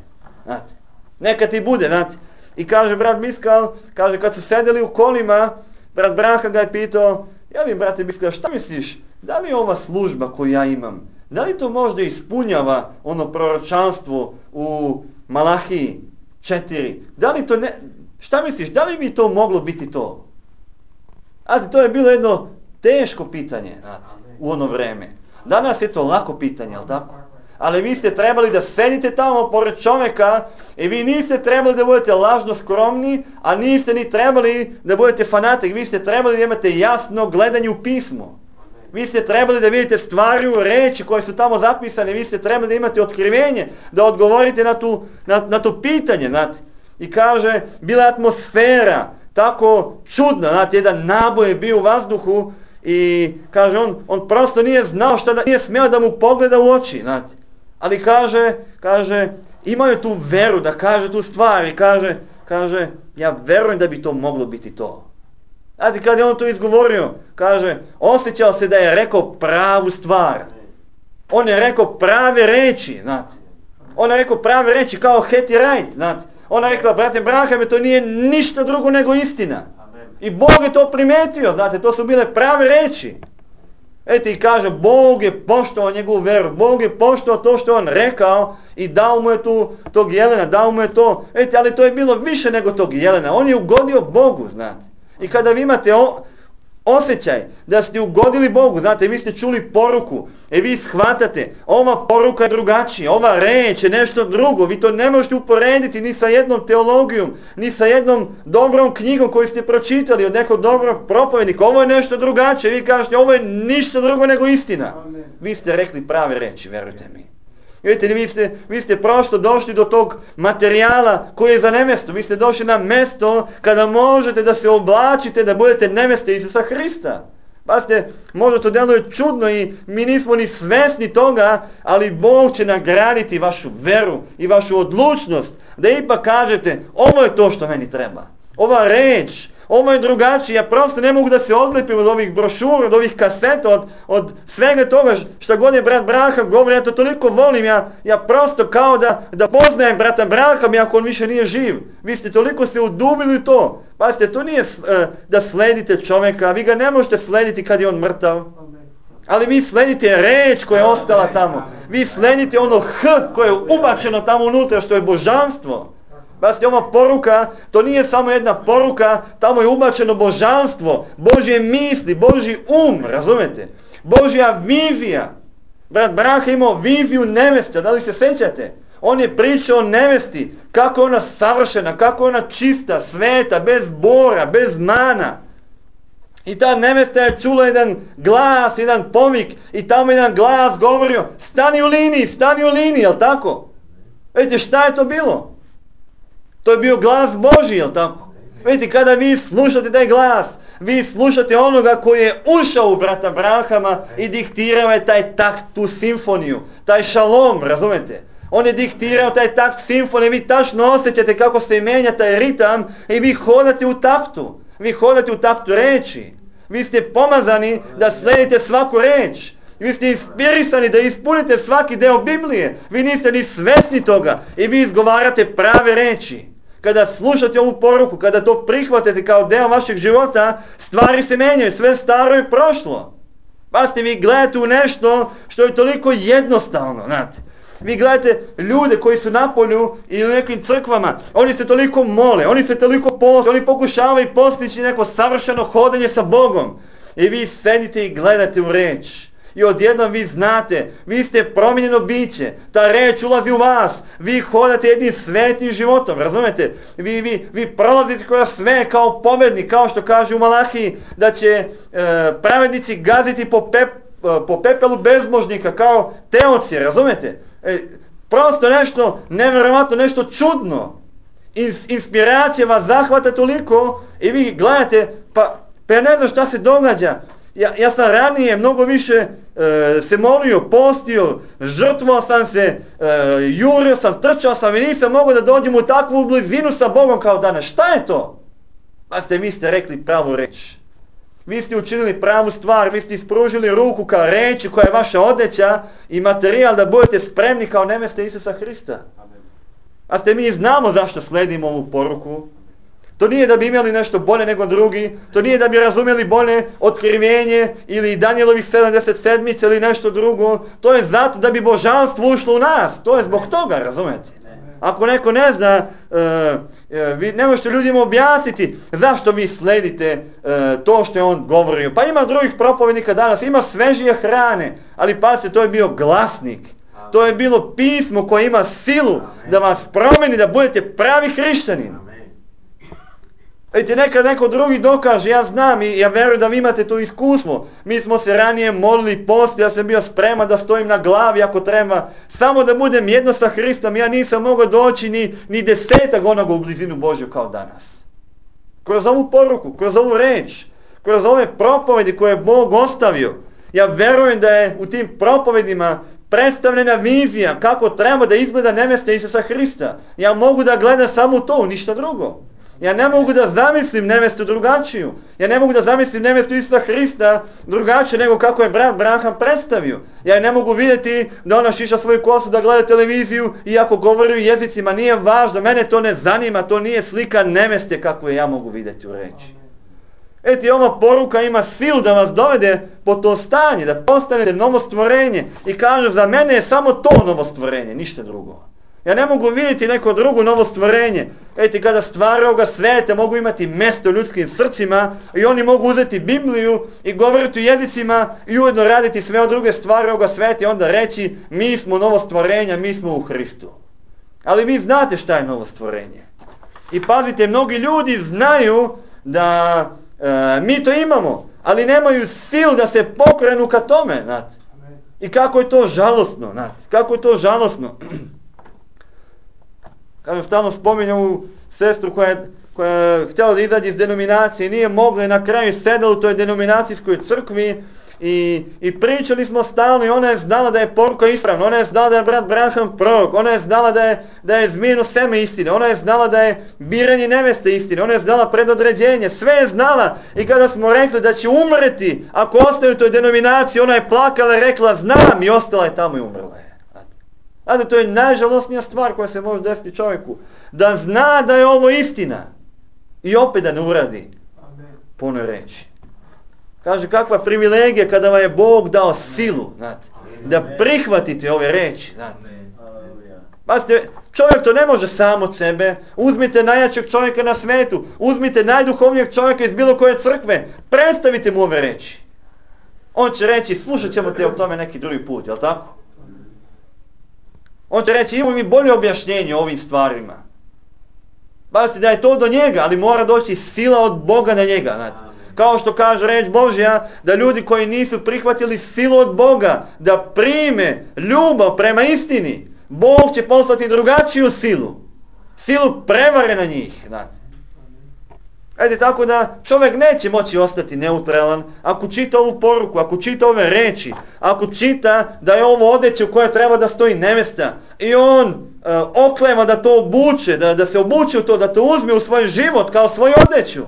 S1: znate. Neka ti bude, znate. I kaže brat Biskal, kaže kad su sedeli u kolima, brat Branham ga je pitao, jeli brate Biskal, šta misliš, da li je ova služba koju ja imam, da li to možda ispunjava ono proročanstvo u Malahiji 4. Da li to šta misliš, da li bi to moglo biti to? Znate, to je bilo jedno teško pitanje, znate, u ono vreme. Danas je to lako pitanje, jel tako? Ali vi ste trebali da sedite tamo pored čovjeka i vi niste trebali da budete lažno skromni, a niste ni trebali da budete fanatik. Vi ste trebali da imate jasno gledanje u pismo. Vi ste trebali da vidite stvari u reči koje su tamo zapisane. Vi ste trebali da imate otkrivenje, da odgovorite na to pitanje. Znate. I kaže, bila je atmosfera tako čudna, znate, jedan naboj je bio u vazduhu i kaže, on prosto nije znao šta da, nije smio da mu pogleda u oči, znate. Ali kaže, imao je tu veru da kaže tu stvar i kaže, ja verujem da bi to moglo biti to. Znate, kad je on to izgovorio, kaže, osjećao se da je rekao pravu stvar. On je rekao prave reči, znate. On je rekao prave reči kao Hetty Wright, znate. Ona je rekla, brate Brahame, to nije ništa drugo nego istina. I Bog je to primetio, znate, to su bile prave reči. Eto i kaže, Bog je poštovao njegovu veru, Bog je poštovao to što on rekao i dao mu je tog jelena, dao mu je to. Eto, ali to je bilo više nego tog jelena, on je ugodio Bogu, znate. I kada vi imate osjećaj da ste ugodili Bogu, znate, vi ste čuli poruku i vi shvatate, ova poruka je drugačija, ova reč je nešto drugo, vi to ne možete uporediti ni sa jednom teologijom, ni sa jednom dobrom knjigom koju ste pročitali od nekog dobrog propovednika, ovo je nešto drugačije, vi kažete, ovo je ništa drugo nego istina. Amen. Vi ste rekli prave reči, verujte mi. Vidite, vi ste prosto došli do tog materijala koji je za nemjesto. Vi ste došli na mjesto kada možete da se oblačite, da budete nemjeste Isusa Hrista. Pazite, možda to djeluje čudno i mi nismo ni svjesni toga, ali Bog će nagraditi vašu veru i vašu odlučnost da ipak kažete, ovo je to što meni treba. Ova reč, ovo je drugačije, ja prosto ne mogu da se odlepim od ovih brošura, od ovih kaseta, od svega toga što god je brat Braham govori, ja to toliko volim, ja prosto kao da poznajem brata Braham, iako on više nije živ. Vi ste toliko se udubili u to. Pazite, to nije da sledite čovjeka, vi ga ne možete slediti kad je on mrtav. Ali vi sledite reč koja je ostala tamo. Vi sledite ono koje je ubačeno tamo unutra, što je božanstvo. Pazite, ova poruka, to nije samo jedna poruka, tamo je ubačeno božanstvo, Božje misli, Božji razumete? Božja vizija. Brat Braha imao viziju neveste, da li se sjećate? On je pričao o nevesti, kako je ona savršena, kako je ona čista, sveta, bez bora, bez mana. I ta nevesta je čula jedan glas, jedan povik i tamo jedan glas govorio, stani u liniji, jel tako? Vidite, šta je to bilo? To je bio glas Božji, jel tako? Vidite, kada vi slušate taj glas, vi slušate onoga koji je ušao u brata Brahama i diktirao je taj takt, tu simfoniju, taj šalom, razumete? On je diktirao taj takt simfonije, vi tačno osjećate kako se menja taj ritam i vi hodate u taktu. Vi hodate u taktu reči. Vi ste pomazani da sledite svaku reč. Vi ste inspirisani da ispunite svaki deo Biblije. Vi niste ni svesni toga i vi izgovarate prave reči. Kada slušate ovu poruku, kada to prihvatite kao deo vašeg života, stvari se menjaju, sve staro je prošlo. Pazite, vi gledate u nešto što je toliko jednostavno, znate. Vi gledate ljude koji su na polju ili u nekim crkvama, oni se toliko mole, oni se toliko poste, oni pokušavaju postići neko savršeno hodanje sa Bogom. I vi sedite i gledate u reč. I odjednom vi znate, vi ste promijenjeno biće, ta reč ulazi u vas, vi hodate jednim svetim životom, razumete? Vi prolazite kroz sve kao pobednik, kao što kaže u Malahiji, da će pravednici gaziti po pepelu bezbožnika kao teoci, razumete? Prosto nešto nevjerovatno, nešto čudno. Inspiracija vas zahvata toliko i vi gledate, pa ja ne znam šta se događa. Ja sam ranije mnogo više se molio, postio, žrtvovao sam se, jurio sam, trčao sam i nisam mogao da dođem u takvu blizinu sa Bogom kao danas. Šta je to? Pa vi ste rekli pravu reč. Vi ste učinili pravu stvar, vi ste ispružili ruku kao reči koja je vaša odjeća i materijal da budete spremni kao neveste Isusa Hrista. A mi znamo zašto sledimo ovu poruku. To nije da bi imali nešto bolje nego drugi, to nije da bi razumjeli bolje otkrivenje ili Danijelovih 77 ili nešto drugo, to je zato da bi božanstvo ušlo u nas, to je zbog toga, razumete? Ako neko ne zna, vi ne možete ljudima objasniti zašto vi sledite to što je on govorio. Pa ima drugih propovednika danas, ima svežije hrane, ali pazite, to je bio glasnik. To je bilo pismo koje ima silu da vas promeni, da budete pravi hrišćanin. Vidite, nekad neko drugi dokaže, ja znam i ja verujem da vi imate to iskustvo. Mi smo se ranije molili, posti, ja sam bio spreman da stojim na glavi ako treba. Samo da budem jedno sa Hristom, ja nisam mogao doći ni 10 onoga u blizinu Božju kao danas. Kroz ovu poruku, kroz ovu reč, kroz ove propovedi koje je Bog ostavio, ja verujem da je u tim propovedima predstavljena vizija kako treba da izgleda nevesta Isusa Hrista. Ja mogu da gledam samo to, ništa drugo. Ja ne mogu da zamislim nevestu drugačiju. Ja ne mogu da zamislim nevestu Isusa Hrista drugačije nego kako je brat Branham predstavio. Ja ne mogu vidjeti da ona šiša svoju kosu, da gleda televiziju i ako govori u jezicima, nije važno, mene to ne zanima, to nije slika neveste kako je ja mogu vidjeti u reči. Eti, ova poruka ima silu da vas dovede po to stanje, da postanete novo stvorenje i kažu za mene je samo to novo stvorenje, ništa drugo. Ja ne mogu vidjeti neko drugo novo stvorenje. Eti, kada stvari ovoga sveta mogu imati mjesto u ljudskim srcima i oni mogu uzeti Bibliju i govoriti u jezicima i ujedno raditi sve od druge stvari ovoga sveta i onda reći mi smo novo stvorenja, mi smo u Hristu. Ali vi znate šta je novo stvorenje. I pazite, mnogi ljudi znaju da mi to imamo, ali nemaju silu da se pokrenu ka tome, znate. I kako je to žalosno, znate. Kako je to žalosno. Kažem, stalno spominjam ovu sestru koja je htjela da izađe iz denominacije i nije mogla i na kraju sedela u toj denominacijskoj crkvi i pričali smo stalno i ona je znala da je poruka ispravna, ona je znala da je brat Branham prorok, ona je znala da je zmijeno seme istine, ona je znala da je biranje neveste istine, ona je znala predodređenje, sve je znala i kada smo rekli da će umreti ako ostane u toj denominaciji, ona je plakala i rekla znam i ostala je tamo i umrla je. Znate, to je najžalosnija stvar koja se može desiti čovjeku. Da zna da je ovo istina i opet da ne uradi po onoj reči. Kaže, kakva privilegija kada vam je Bog dao silu, znate, da prihvatite ove reči. Znate, čovjek to ne može sam od sebe. Uzmite najjačeg čovjeka na svijetu, uzmite najduhovnijeg čovjeka iz bilo koje crkve, predstavite mu ove reči. On će reći, slušat ćemo te o tome neki drugi put, jel tako? On će reći, imamo mi bolje objašnjenje o ovim stvarima. Pazite da je to do njega, ali mora doći sila od Boga na njega. Znate. Kao što kaže reč Božja, da ljudi koji nisu prihvatili silu od Boga, da prime ljubav prema istini, Bog će poslati drugačiju silu. Silu prevare na njih. Znate. Ede, tako da čovjek neće moći ostati neutralan ako čita ovu poruku, ako čita ove reči, ako čita da je ovo odeće u kojoj treba da stoji nevesta i on okleva da to obuče, da se obuče u to, da to uzme u svoj život kao svoju odeću.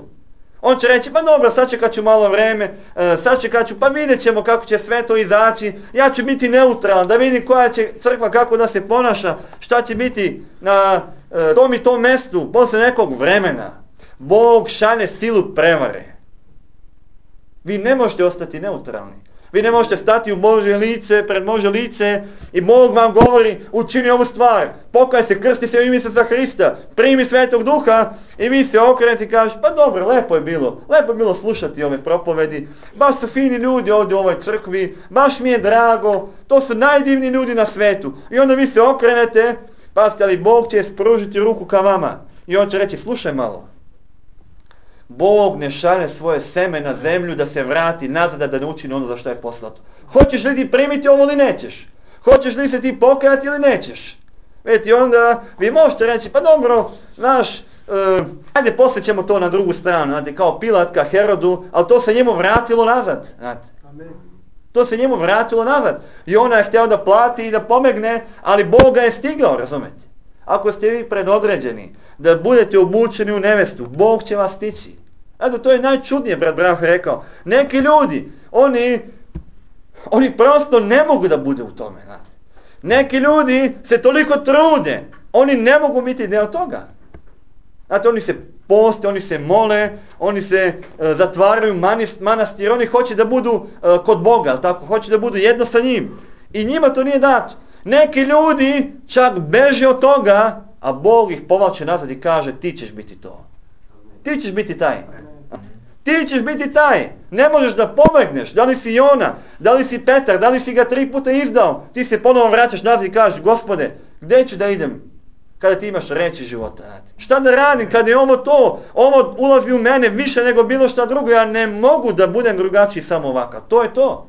S1: On će reći, pa dobro, sačekat ću malo vreme, sačekat ću, pa vidjet ćemo kako će sve to izaći, ja ću biti neutralan, da vidim koja će crkva kako da se ponaša, šta će biti na tom i tom mjestu posle nekog vremena. Bog šalje silu prevare. Vi ne možete ostati neutralni. Vi ne možete stati u Božje lice, pred Božje lice i Bog vam govori, učini ovu stvar, pokaj se, krsti se u ime Isusa Hrista, primi Svetog Duha i vi se okrenete i kažete, pa dobro, lepo je bilo slušati ove propovedi, baš su fini ljudi ovdje u ovoj crkvi, baš mi je drago, to su najdivniji ljudi na svetu. I onda vi se okrenete, pazite, ali Bog će spružiti ruku ka vama i on će reći, slušaj malo. Bog ne šalje svoje seme na zemlju da se vrati nazad, da ne učini ono za što je poslato. Hoćeš li ti primiti ovo ili nećeš? Hoćeš li se ti pokajati ili nećeš? Vidite, onda vi možete reći, pa dobro, znaš, ajde poslije ćemo to na drugu stranu, znate, kao Pilat ka Herodu, ali to se njemu vratilo nazad, znate. To se njemu vratilo nazad. I ona je htjela da plati i da pomegne, ali Bog ga je stigao, razumete? Ako ste vi predodređeni da budete obučeni u nevestu, Bog će vas stići. Eto, to je najčudnije, brat Branham rekao. Neki ljudi, oni prosto ne mogu da bude u tome. Znate. Neki ljudi se toliko trude, oni ne mogu biti deo toga. Znate, oni se poste, oni se mole, oni se zatvaraju manastir, oni hoće da budu kod Boga, tako, hoće da budu jedno sa njim. I njima to nije dato. Neki ljudi čak beže od toga, a Bog ih povlače nazad i kaže ti ćeš biti to. Ti ćeš biti taj. Ti ćeš biti taj. Ne možeš da pobegneš. Da li si Jona, da li si Petar, da li si ga 3 puta izdao, ti se ponovo vraćaš nazad i kažeš Gospode, gdje ću da idem kada ti imaš reći života? Šta da radim kada je ovo ulazi u mene više nego bilo šta drugo, ja ne mogu da budem drugačiji samo ovakav. To je to.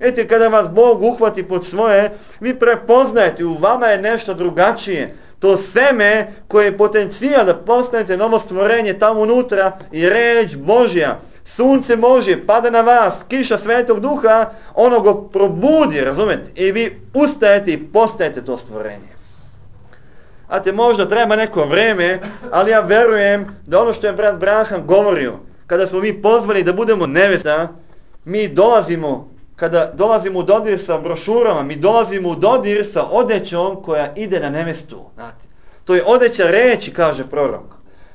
S1: Vidite, kada vas Bog uhvati pod svoje, vi prepoznajete, u vama je nešto drugačije. To seme koje je potencijal da postanete novo stvorenje tamo unutra i reč Božja, sunce Božje pada na vas, kiša Svetog Duha, ono go probudi, razumete? I vi ustajete i postajete to stvorenje. Znate, možda treba neko vreme, ali ja verujem da ono što je brat Branham govorio, kada smo mi pozvani da budemo nevesta, mi dolazimo, kada dolazimo u dodir sa brošurama, mi dolazimo u dodir sa odećom koja ide na nevestu. Znate. To je odeća reči, kaže prorok.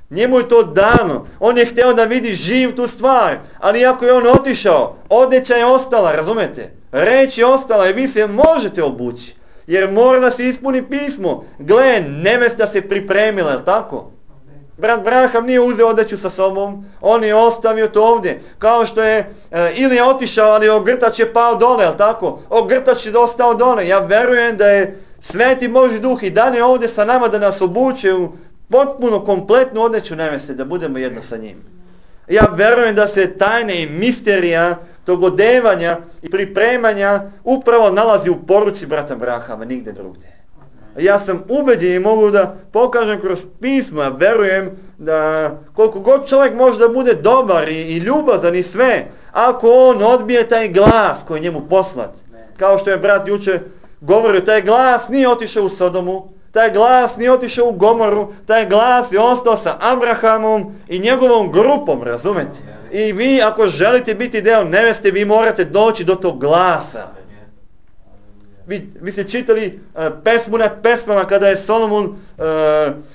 S1: Njemu je to dano. On je htio da vidi živ tu stvar, ali ako je on otišao, odeća je ostala, razumete? Reč je ostala i vi se možete obući. Jer mora da se ispuni pismo. Gle, nevesta se pripremila, je li tako? Brat Branham nije uzeo odeću sa sobom, on je ostavio to ovdje. Kao što je, ili je otišao, ali ogrtač je pao dole, je li tako? Ogrtač je ostao dole. Ja verujem da je Sveti Božji Duh i dan je ovdje sa nama da nas obuče u potpuno kompletnu odeću neveste, da budemo jedno sa njim. Ja verujem da se tajne i misterija tog odevanja i pripremanja upravo nalazi u poruci brata Branhama, nigde drugdje. Ja sam ubeđen i mogu da pokažem kroz pismo, ja verujem da koliko god čovjek može da bude dobar i ljubazan i sve, ako on odbije taj glas koji je njemu poslat, kao što je brat juče govorio, taj glas nije otišao u Sodomu, taj glas nije otišao u Gomoru, taj glas je ostao sa Abrahamom i njegovom grupom, razumete? I vi ako želite biti deo neveste, vi morate doći do tog glasa. Vi ste čitali pesmu nad pesmama kada je Solomon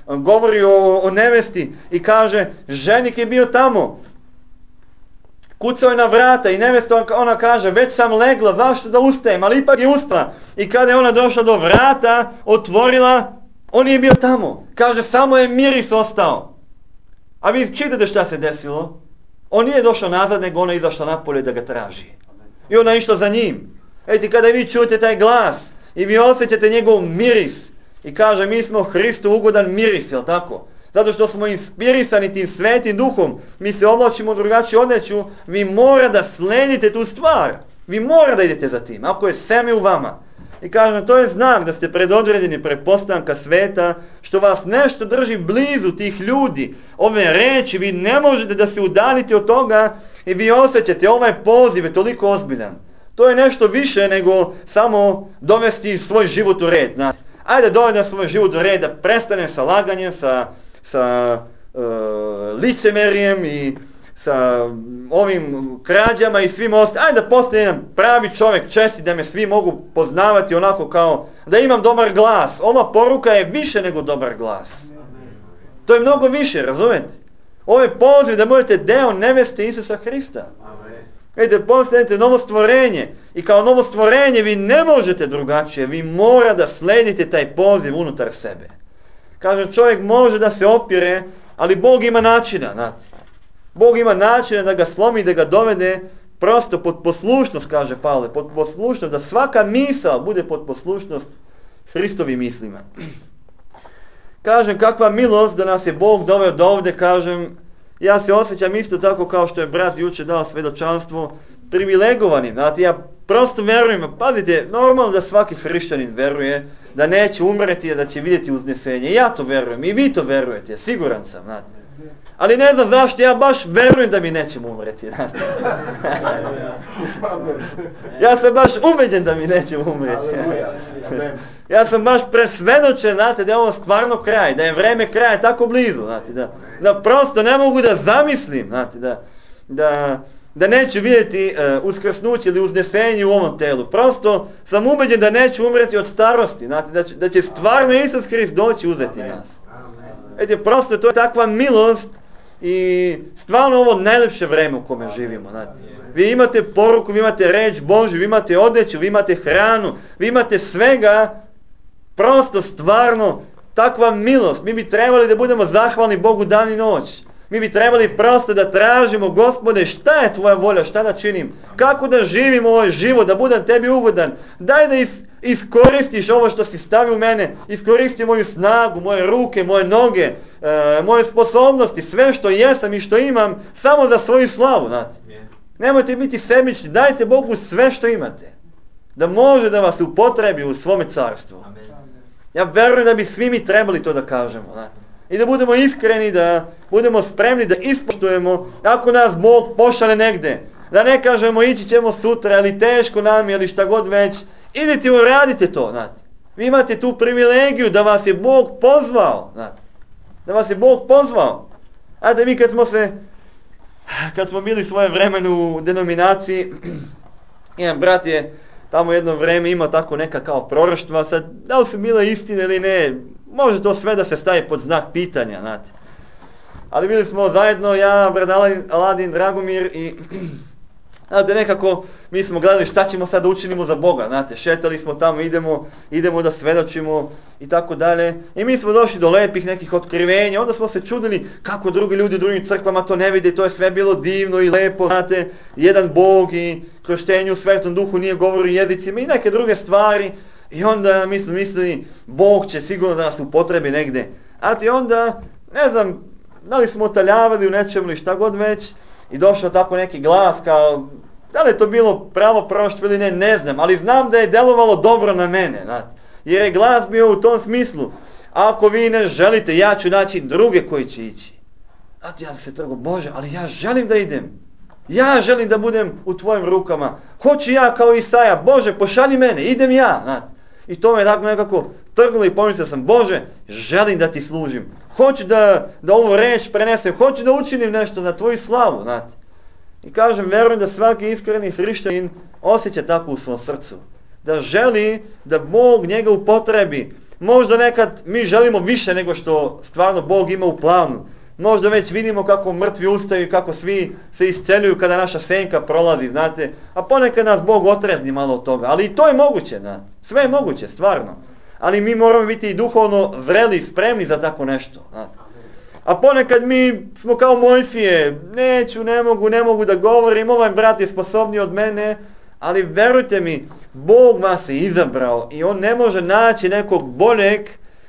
S1: govorio o nevesti i kaže, ženik je bio tamo, kucao je na vrata i nevesta ona kaže, već sam legla, zašto da ustajem, ali ipak je ustala. I kada je ona došla do vrata, otvorila, on je bio tamo. Kaže, samo je miris ostao. A vi čitate šta se desilo? On nije došao nazad, nego ona izašla napolje da ga traži. I ona je išla za njim. Eti, kada vi čujete taj glas i vi osjećate njegov miris i kaže, mi smo Hristu ugodan miris, jel tako? Zato što smo inspirisani tim Svetim Duhom, mi se oblačimo u drugačiju odjeću, vi mora da sledite tu stvar. Vi mora da idete za tim, ako je seme u vama. I kažem, to je znak da ste predodređeni pretpostavka sveta, što vas nešto drži blizu tih ljudi. Ove reči, vi ne možete da se udaljite od toga i vi osjećate, ovaj poziv je toliko ozbiljan. To je nešto više nego samo dovesti svoj život u red. Znači, ajde dovedem svoj život u red, da prestanem sa laganjem, sa licemerijem i sa ovim krađama i svim ostalim. Ajde da postane jedan pravi čovjek, čestit, da me svi mogu poznavati onako kao da imam dobar glas. Ova poruka je više nego dobar glas. To je mnogo više, razumete? Ovo je poziv da budete deo neveste Isusa Hrista. Vidite, postanete novo stvorenje i kao novo stvorenje vi ne možete drugačije, vi mora da sledite taj poziv unutar sebe. Kažem, čovjek može da se opire, ali Bog ima načina, znate. Bog ima načina da ga slomi, da ga dovede prosto pod poslušnost, kaže Pavle, pod poslušnost, da svaka misao bude pod poslušnost Hristovim mislima. Kažem, kakva milost da nas je Bog doveo do ovde, kažem, ja se osjećam isto tako kao što je brat juče dao svedočanstvo, privilegovanim, znate, ja prosto verujem, pazite, normalno da svaki hrišćanin veruje da neće umreti, da će vidjeti uznesenje, ja to verujem i vi to verujete, siguran sam, znate. Ali ne znam zašto, ja baš verujem da mi nećemo umreti, znate. Ja sam baš ubeđen da mi nećemo umreti. Ja sam baš presvedočen, znate, da je ovo stvarno kraj, da je vreme kraja tako blizu, znate, da prosto ne mogu da zamislim, znate, da neću vidjeti uskrsnuće ili uznesenje u ovom telu. Prosto sam ubeđen da neću umreti od starosti, znate, da će stvarno Isus Hrist doći uzeti nas. Vidite, prosto to je takva milost i stvarno ovo najlepše vreme u kome živimo, znate. Vi imate poruku, vi imate reč Božju, vi imate odjeću, vi imate hranu, vi imate svega, prosto stvarno takva milost. Mi bi trebali da budemo zahvalni Bogu dan i noć. Mi bi trebali prosto da tražimo, Gospode, šta je tvoja volja, šta da činim, kako da živim ovaj život, da budem tebi ugodan. Daj da iskoristiš ovo što si stavio u mene, iskoristi moju snagu, moje ruke, moje noge, moje sposobnosti, sve što jesam i što imam, samo za svoju slavu, znate. Nemojte biti sebični, dajte Bogu sve što imate, da može da vas upotrebi u svome carstvu. Ja verujem da bi svi mi trebali to da kažemo, znate. I da budemo iskreni, da budemo spremni da ispoštujemo ako nas Bog pošalje negde. Da ne kažemo ići ćemo sutra, ali teško nam je, ili šta god već. Idite i uradite to, znate. Vi imate tu privilegiju da vas je Bog pozvao, znate. Da vas je Bog pozvao. A da mi kad smo bili svoje vremenu u denominaciji, jedan brat je tamo jedno vreme imao tako neka kao proroštva, sad da li su bile istine ili ne, može to sve da se stavi pod znak pitanja, znate. Ali bili smo zajedno, ja, brat Aladin, Dragomir i znate, nekako mi smo gledali šta ćemo sad da učinimo za Boga, znate, šetali smo tamo, idemo da svedočimo i tako dalje. I mi smo došli do lepih nekih otkrivenja, onda smo se čudili kako drugi ljudi u drugim crkvama to ne vide, to je sve bilo divno i lepo, znate, jedan Bog i krštenju u Svetom Duhu nije govorio jezicima i neke druge stvari. I onda mi smo mislili, Bog će sigurno da nas upotrebi negde. A ti onda, ne znam, da li smo otaljavali u nečemu ili šta god već, i došao tako neki glas kao, da li je to bilo pravo proroštvo ili ne, ne znam, ali znam da je delovalo dobro na mene, znate. Jer je glas bio u tom smislu, ako vi ne želite, ja ću naći druge koji će ići. Znate, ja sam se trgao, Bože, ali ja želim da idem. Ja želim da budem u tvojim rukama. Hoću ja kao Isaja, Bože, pošalji mene, idem ja, znate. I to me tako nekako trglo i pomislio sam, Bože, želim da ti služim. Hoću da ovu reč prenesem, hoću da učinim nešto za tvoju slavu, znate. I kažem, verujem da svaki iskreni hrišćanin osjeća tako u svom srcu. Da želi da Bog njega upotrebi. Možda nekad mi želimo više nego što stvarno Bog ima u planu. Možda već vidimo kako mrtvi ustaju, kako svi se isceljuju kada naša senka prolazi, znate. A ponekad nas Bog otrezni malo od toga. Ali i to je moguće, znate. Sve je moguće, stvarno. Ali mi moramo biti i duhovno zreli i spremni za tako nešto, znate. A ponekad mi smo kao Mojsije, neću, ne mogu da govorim, ovaj brat je sposobniji od mene, ali verujte mi, Bog vas je izabrao i On ne može naći nekog boljeg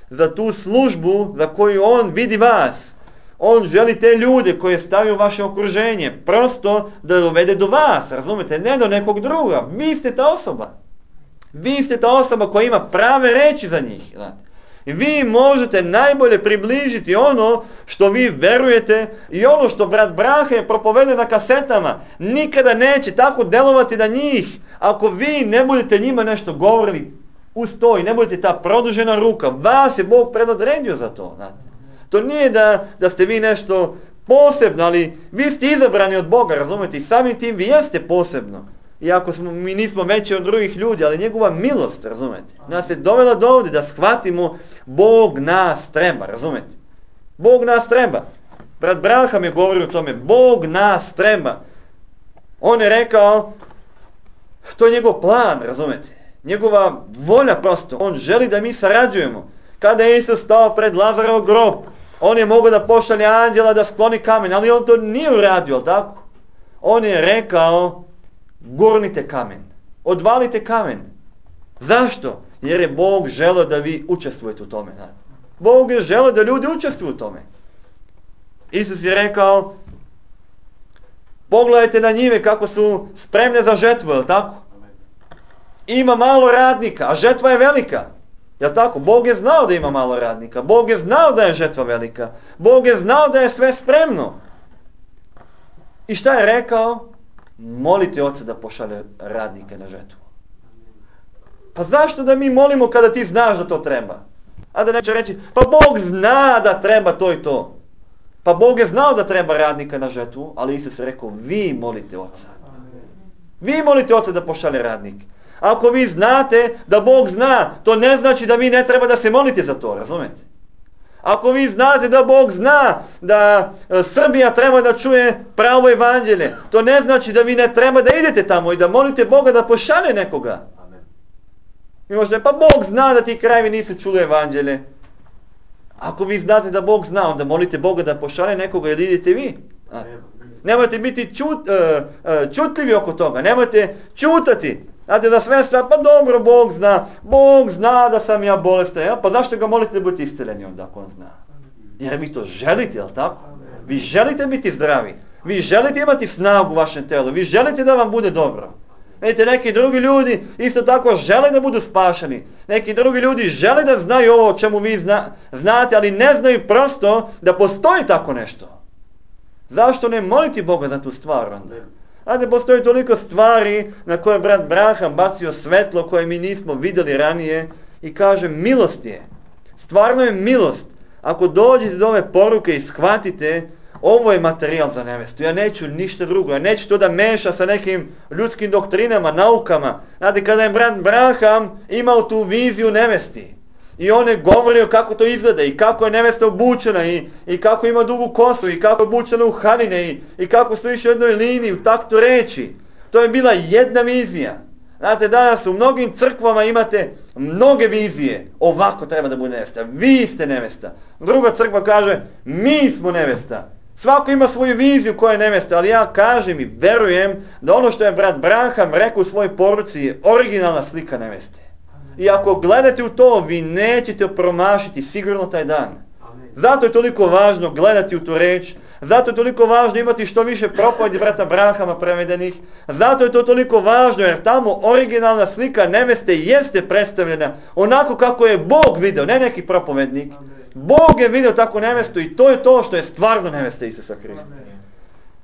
S1: za tu službu za koju On vidi vas. On želi te ljude koje stavi u vaše okruženje, prosto da dovede do vas, razumete, ne do nekog druga. Vi ste ta osoba. Vi ste ta osoba koja ima prave reči za njih, znate. I vi možete najbolje približiti ono što vi verujete i ono što brat Brahe propovede na kasetama. Nikada neće tako delovati na njih ako vi ne budete njima nešto govorili uz to i ne budete ta produžena ruka. Vas je Bog predodredio za to, znate. To nije da ste vi nešto posebno, ali vi ste izabrani od Boga, razumete, i samim tim vi jeste posebno. Iako mi nismo veći od drugih ljudi, ali njegova milost, razumete, nas je dovela do ovdje da shvatimo Bog nas treba, razumete. Bog nas treba. Brat Braham je govorio o tome, Bog nas treba. On je rekao, to je njegov plan, razumete. Njegova volja prosto, on želi da mi sarađujemo. Kada je Isus stao pred Lazarov grob, on je mogao da pošalje anđela da skloni kamen, ali on to nije uradio, tako? On je rekao, gurnite kamen, odvalite kamen. Zašto? Jer je Bog želeo da vi učestvujete u tome. Ne? Bog je želeo da ljudi učestvuju u tome. Isus je rekao, pogledajte na njive kako su spremne za žetvu, je li tako? Ima malo radnika, a žetva je velika. Jel' tako? Bog je znao da ima malo radnika. Bog je znao da je žetva velika. Bog je znao da je sve spremno. I šta je rekao? Molite Oca da pošalje radnike na žetvu. Pa zašto da mi molimo kada ti znaš da to treba? A da neće reći, pa Bog zna da treba to i to. Pa Bog je znao da treba radnika na žetvu, ali Isus je rekao, vi molite Oca. Vi molite Oca da pošalje radnike. Ako vi znate da Bog zna, to ne znači da vi ne treba da se molite za to, razumete? Ako vi znate da Bog zna da Srbija treba da čuje pravo evanđelje, to ne znači da vi ne treba da idete tamo i da molite Boga da pošalje nekoga. Mi možete, pa Bog zna da ti krajevi nisu čuli evanđelje. Ako vi znate da Bog zna, onda molite Boga da pošalje nekoga ili idete vi. Nemojte biti čutljivi oko toga, nemojte čutati. Znate da sve, pa dobro, Bog zna da sam ja bolestan, ja? Pa zašto ga molite da budete isceljeni onda ako on zna? Jer vi to želite, jel tako? Vi želite biti zdravi, vi želite imati snagu u vašem telu, vi želite da vam bude dobro. Vidite, neki drugi ljudi isto tako žele da budu spašeni. Neki drugi ljudi žele da znaju ovo o čemu vi znate, ali ne znaju prosto da postoji tako nešto. Zašto ne moliti Boga za tu stvar onda? Znate, postoji toliko stvari na koje brat Branham bacio svetlo koje mi nismo vidjeli ranije i kaže milost je. Stvarno je milost. Ako dođete do ove poruke i shvatite, ovo je materijal za nevestu. Ja neću ništa drugo. Ja neću to da meša sa nekim ljudskim doktrinama, naukama. Znate, kada je brat Branham imao tu viziju nevesti i on je govorio kako to izgleda i kako je nevesta obučena i kako ima dugu kosu i kako je obučena u haline i kako su išli u jednoj liniji, u taktu reči. To je bila jedna vizija. Znate, danas u mnogim crkvama imate mnoge vizije. Ovako treba da bude nevesta. Vi ste nevesta. Druga crkva kaže, mi smo nevesta. Svako ima svoju viziju koja je nevesta, ali ja kažem i verujem da ono što je brat Branham rekao u svojoj poruci je originalna slika neveste. I ako gledate u to, vi nećete promašiti sigurno taj dan. Zato je toliko važno gledati u tu reč, zato je toliko važno imati što više propovedi brata Branhama prevedenih, zato je to toliko važno jer tamo originalna slika neveste jeste predstavljena onako kako je Bog video, ne neki propovednik. Bog je vidio tako nevestu i to je to što je stvarno nevesta Isusa Hrista.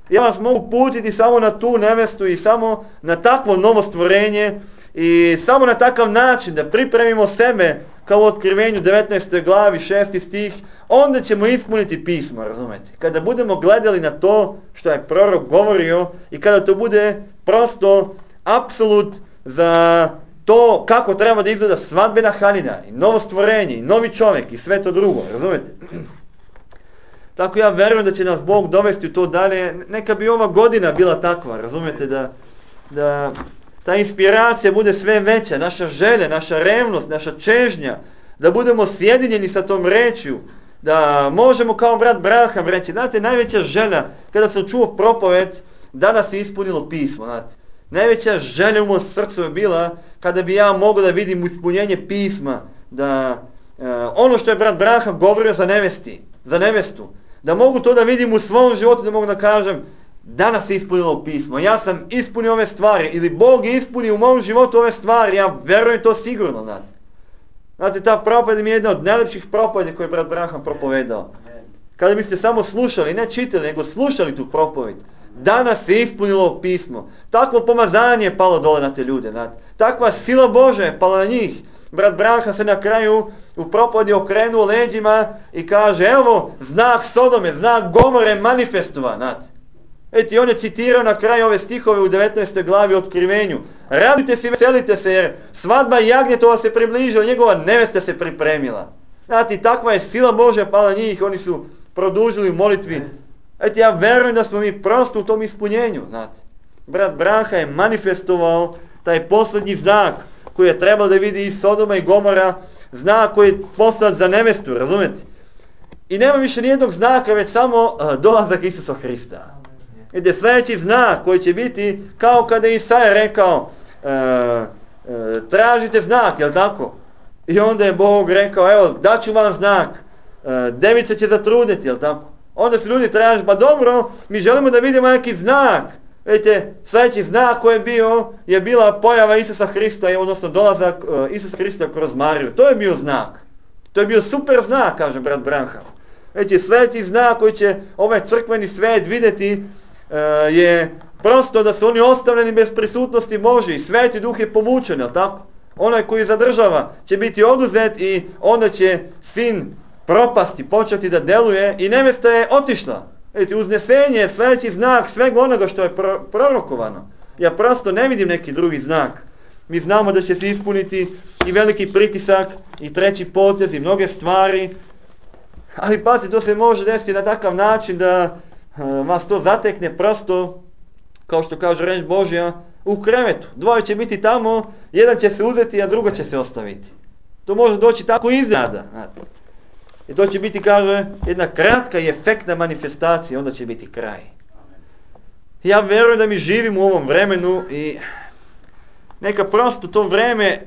S1: Ja vas mogu putiti samo na tu nevestu i samo na takvo novo stvorenje i samo na takav način da pripremimo sebe kao u Otkrivenju 19. glavi 6. stih, onda ćemo ispuniti pismo, razumete? Kada budemo gledali na to što je prorok govorio i kada to bude prosto apsolut za to kako treba da izgleda svadbena haljina i novo stvorenje i novi čovjek i sve to drugo, razumete? Tako ja verujem da će nas Bog dovesti u to dalje. Neka bi ova godina bila takva, razumete, da ta inspiracija bude sve veća, naša želja, naša revnost, naša čežnja, da budemo sjedinjeni sa tom rečju, da možemo kao brat Branham reći, znate, najveća želja, kada sam čuo propoved, danas se ispunilo pismo, znate. Najveća želja u mom srcu je bila kada bi ja mogao da vidim ispunjenje pisma, da ono što je brat Branham govorio za nevestu, da mogu to da vidim u svom životu, da mogu da kažem, danas se ispunilo pismo, ja sam ispunio ove stvari, ili Bog je ispunio u mom životu ove stvari, ja verujem to sigurno, znate. Znate, ta propoved mi je jedna od najlepših propovedi koje je brat Branham propovedao. Kada biste samo slušali, ne čitali, nego slušali tu propoved, danas se ispunilo pismo. Takvo pomazanje je palo dole na te ljude, znate. Takva sila Božja je pala na njih. Brat Branham se na kraju u propovedi okrenuo leđima i kaže, evo, znak Sodome, znak Gomore manifestovan, znate. I on je citirao na kraju ove stihove u 19. glavi Otkrivenju. Radujte se i veselite se jer svadba jagnjetova se približila, njegova nevesta se pripremila. Znate, takva je sila Božja pala na njih, oni su produžili u molitvi. Ja verujem da smo mi prosto u tom ispunjenju, znate. Brat Branham je manifestovao taj posljednji znak koji je trebalo da vidi i Sodoma i Gomora, znak koji je poslat za nevestu, razumete? I nema više nijednog znaka, već samo dolazak Isusa Hrista. Ide sljedeći znak koji će biti kao kada je Isaja rekao, tražite znak, jel tako? I onda je Bog rekao, evo, daću vam znak, devica će zatrudniti, jel tako? Onda su ljudi tražili, pa dobro, mi želimo da vidimo neki znak. Vidite, sljedeći znak koji je bila pojava Isusa Hrista, odnosno dolazak Isusa Hrista kroz Mariju. To je bio znak. To je bio super znak, kaže brat Branham. Vidite, sljedeći znak koji će ovaj crkveni svijet vidjeti je prosto da su oni ostavljeni bez prisutnosti Božje i Sveti Duh je povučen, jel tako? Onaj koji zadržava će biti oduzet i onda će sin propasti, početi da deluje i nevesta je otišla. Vidite, uznesenje je sljedeći znak svega onoga što je prorokovano. Ja prosto ne vidim neki drugi znak. Mi znamo da će se ispuniti i veliki pritisak i treći potez i mnoge stvari. Ali pazi, to se može desiti na takav način da vas to zatekne prosto, kao što kaže reč Božja, u krevetu. Dvoje će biti tamo, jedan će se uzeti, a drugo će se ostaviti. To može doći tako iznenada. I to će biti, kaže, jedna kratka i efektna manifestacija, onda će biti kraj. Ja vjerujem da mi živimo u ovom vremenu i neka prosto to vreme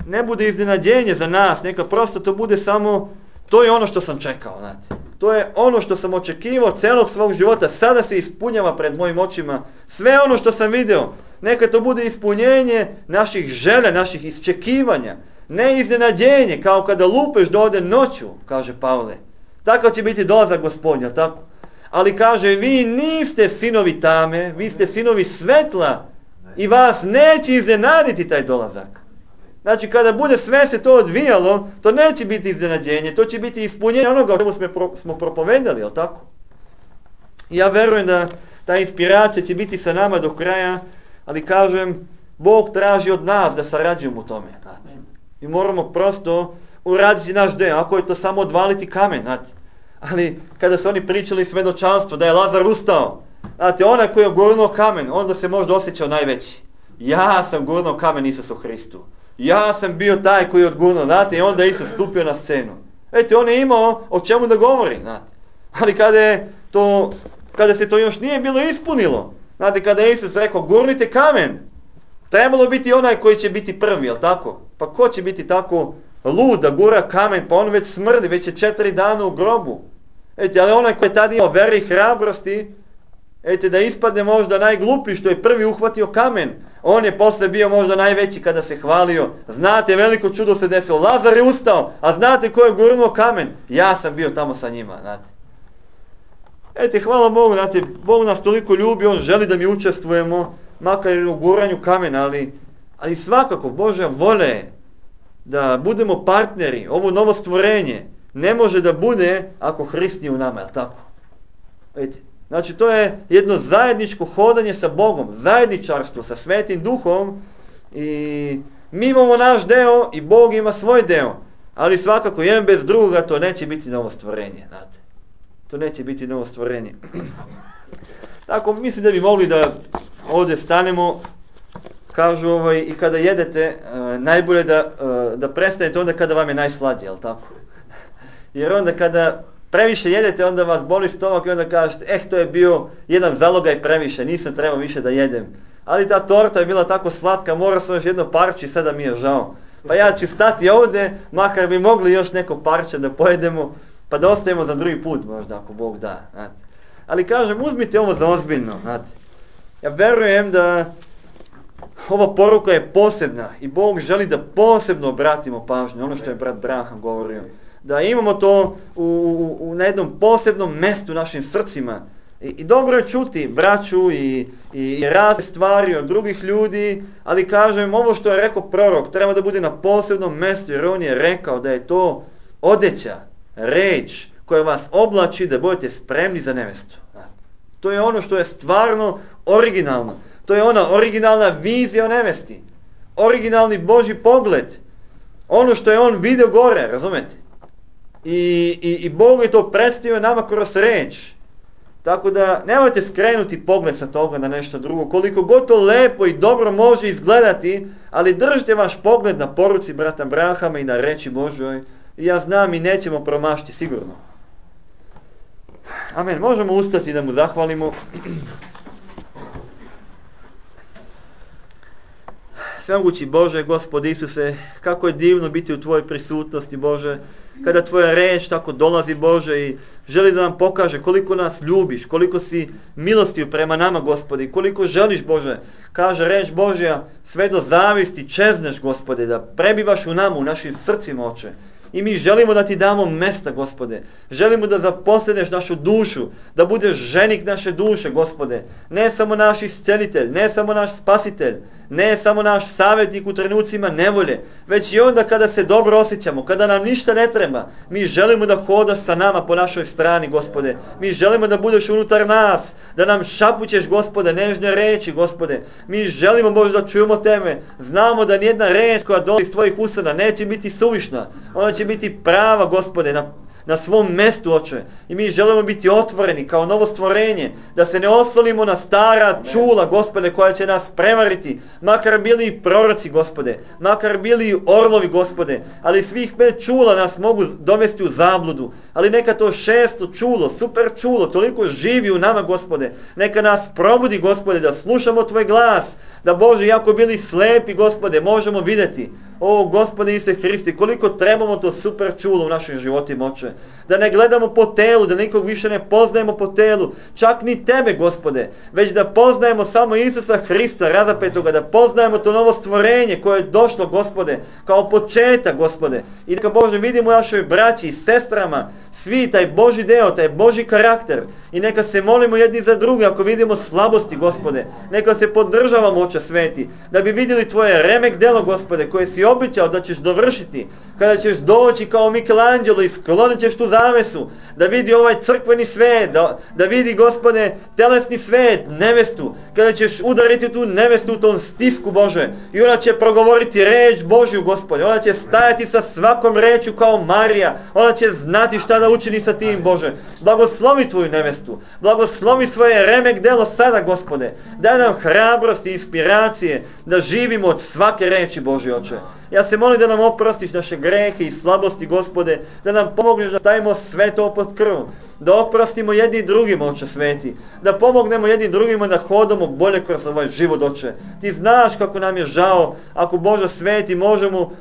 S1: ne bude iznenađenje za nas, neka prosto to bude samo, to je ono što sam čekao, znate. To je ono što sam očekivao celog svog života, sada se ispunjava pred mojim očima. Sve ono što sam video, neka to bude ispunjenje naših želja, naših iščekivanja. Ne iznenađenje, kao kada lupeš da ode noću, kaže Pavle. Takav će biti dolazak Gospodnja, tako? Ali kaže, vi niste sinovi tame, vi ste sinovi svetla i vas neće iznenaditi taj dolazak. Znači, kada bude sve se to odvijalo, to neće biti iznenađenje, to će biti ispunjenje onoga o čemu smo propovedali, jel tako? I ja verujem da ta inspiracija će biti sa nama do kraja, ali kažem, Bog traži od nas da sarađujemo u tome. Znate. I moramo prosto uraditi naš deo, ako je to samo odvaliti kamen. Znate. Ali kada su oni pričali svedočanstvo da je Lazar ustao, znate, onaj koji je gurnuo kamen, onda se možda osjećao najveći. Ja sam gurnuo kamen Isusu Hristu. Ja sam bio taj koji je odgurnuo, znate, i onda je Isus stupio na scenu. Eto, on je imao o čemu da govori, znate. Ali kada se to još nije bilo ispunilo, znate, kada je Isus rekao, gurnite kamen, trebalo biti onaj koji će biti prvi, jel tako? Pa ko će biti tako lud da gura kamen, pa on već smrdi, već je 4 dana u grobu. Eto, ali onaj koji je tada imao vere i hrabrosti, eto, da ispadne možda najgluplji što je prvi uhvatio kamen, on je posle bio možda najveći kada se hvalio. Znate, veliko čudo se desilo, Lazar je ustao, a znate ko je gurnuo kamen? Ja sam bio tamo sa njima, znate. Eto, hvala Bogu, znate, Bog nas toliko ljubi, on želi da mi učestvujemo, makar i u guranju kamena, ali svakako Božja volja je da budemo partneri, ovo novo stvorenje ne može da bude ako Hrist nije u nama, jel tako? Vidite, znači to je jedno zajedničko hodanje sa Bogom, zajedničarstvo sa Svetim Duhom i mi imamo naš deo i Bog ima svoj deo, ali svakako jedan bez drugoga to neće biti novo stvorenje, znate. To neće biti novo stvorenje. Tako, mislim da bi mogli da ovdje stanemo, kažu i kada jedete, najbolje da prestanete onda kada vam je najslađe, jel tako? Jer onda kada previše jedete, onda vas boli stomak i onda kažete, to je bio jedan zalogaj previše, nisam trebao više da jedem. Ali ta torta je bila tako slatka, mora sam još jedno parče i sada mi je žao. Pa ja ću stati ovdje, makar bi mogli još neko parče da pojedemo, pa da ostavimo za drugi put možda, ako Bog da. Znate. Ali kažem, uzmite ovo za ozbiljno. Znate. Ja verujem da ova poruka je posebna i Bog želi da posebno obratimo pažnju, ono što je brat Branham govorio. Da imamo to na jednom posebnom mjestu u našim srcima. I dobro je čuti braću i razne stvari od drugih ljudi, ali kažem, ovo što je rekao prorok treba da bude na posebnom mjestu, jer on je rekao da je to odeća, reč koja vas oblači da budete spremni za nevestu. To je ono što je stvarno originalno. To je ona originalna vizija o nevesti. Originalni Božji pogled. Ono što je on vidio gore, razumete? I Bog je to predstavio nama kroz reč. Tako da nemojte skrenuti pogled sa toga na nešto drugo. Koliko god to lepo i dobro može izgledati, ali držite vaš pogled na poruci brata Branhama i na reči Božoj. I ja znam i nećemo promašiti sigurno. Amen. Možemo ustati da mu zahvalimo. Svemogući Bože, Gospod Isuse, kako je divno biti u Tvojoj prisutnosti, Bože, kada Tvoja reč tako dolazi, Bože, i želi da nam pokaže koliko nas ljubiš, koliko si milostiv prema nama, Gospodi, koliko želiš, Bože, kaže reč Božja, sve do zavisti čezneš, Gospode, da prebivaš u nama, u našim srcima, Oče. I mi želimo da Ti damo mesta, Gospode. Želimo da zaposleneš našu dušu, da budeš ženik naše duše, Gospode. Ne samo naš iscelitelj, ne samo naš spasitelj, ne samo naš savjetnik u trenucima nevolje, već i onda kada se dobro osjećamo, kada nam ništa ne treba. Mi želimo da hodaš sa nama po našoj strani, Gospode. Mi želimo da budeš unutar nas, da nam šapućeš, Gospode, nežne reči, Gospode. Mi želimo, Bože, da čujemo Tebe. Znamo da nijedna reč koja dolazi iz Tvojih usana neće biti suvišna. Ona će biti prava, Gospode, na svom mjestu, Oče. I mi želimo biti otvoreni kao novo stvorenje, da se ne oslonimo na stara čula, Gospode, koja će nas prevariti, makar bili i proroci, Gospode, makar bili i orlovi, Gospode, ali svih 5 čula nas mogu dovesti u zabludu, ali neka to 6. čulo, super čulo, toliko živi u nama, Gospode, neka nas probudi, Gospode, da slušamo Tvoj glas, da Bože, jako bili slepi, Gospode, možemo vidjeti. O, Gospode Isuse Hriste, koliko trebamo to super čulo u našim životima, Oče. Da ne gledamo po telu, da nikog više ne poznajemo po telu, čak ni Tebe, Gospode, već da poznajemo samo Isusa Hrista, razapetoga, da poznajemo to novo stvorenje koje je došlo, Gospode, kao početak, Gospode. I neka, Bože, vidimo u našoj braći i sestrama svi taj Božji deo, taj Božji karakter. I neka se molimo jedni za druge ako vidimo slabosti, Gospode. Neka se podržavamo, Oče sveti, da bi vidjeli Tvoje remek delo, Gospode, koje si obećao da ćeš dovršiti. Kada ćeš doći kao Michelangelo i sklonit ćeš tu zavesu, da vidi ovaj crkveni svet, da vidi, Gospode, telesni svet, nevestu. Kada ćeš udariti tu nevestu u tom stisku, Bože, i ona će progovoriti reč Božju, Gospode. Ona će stajati sa svakom rečju kao Marija. Ona će znati šta da učini sa tim, Bože. Blagoslovi Tvoju nevestu. Blagoslovi svoje remek delo sada, Gospode. Daj nam hrabrosti i inspiracije da živimo od svake reči, Božje, Oče. Ja se molim da nam oprostiš naše grehe i slabosti, Gospode, da nam pomogneš da stavimo sve to pod krv, da oprostimo jedni drugima, Oče sveti, da pomognemo jedni drugima da hodamo bolje kroz ovaj život, Oče. Ti znaš kako nam je žao, ako, Bože sveti, možemo,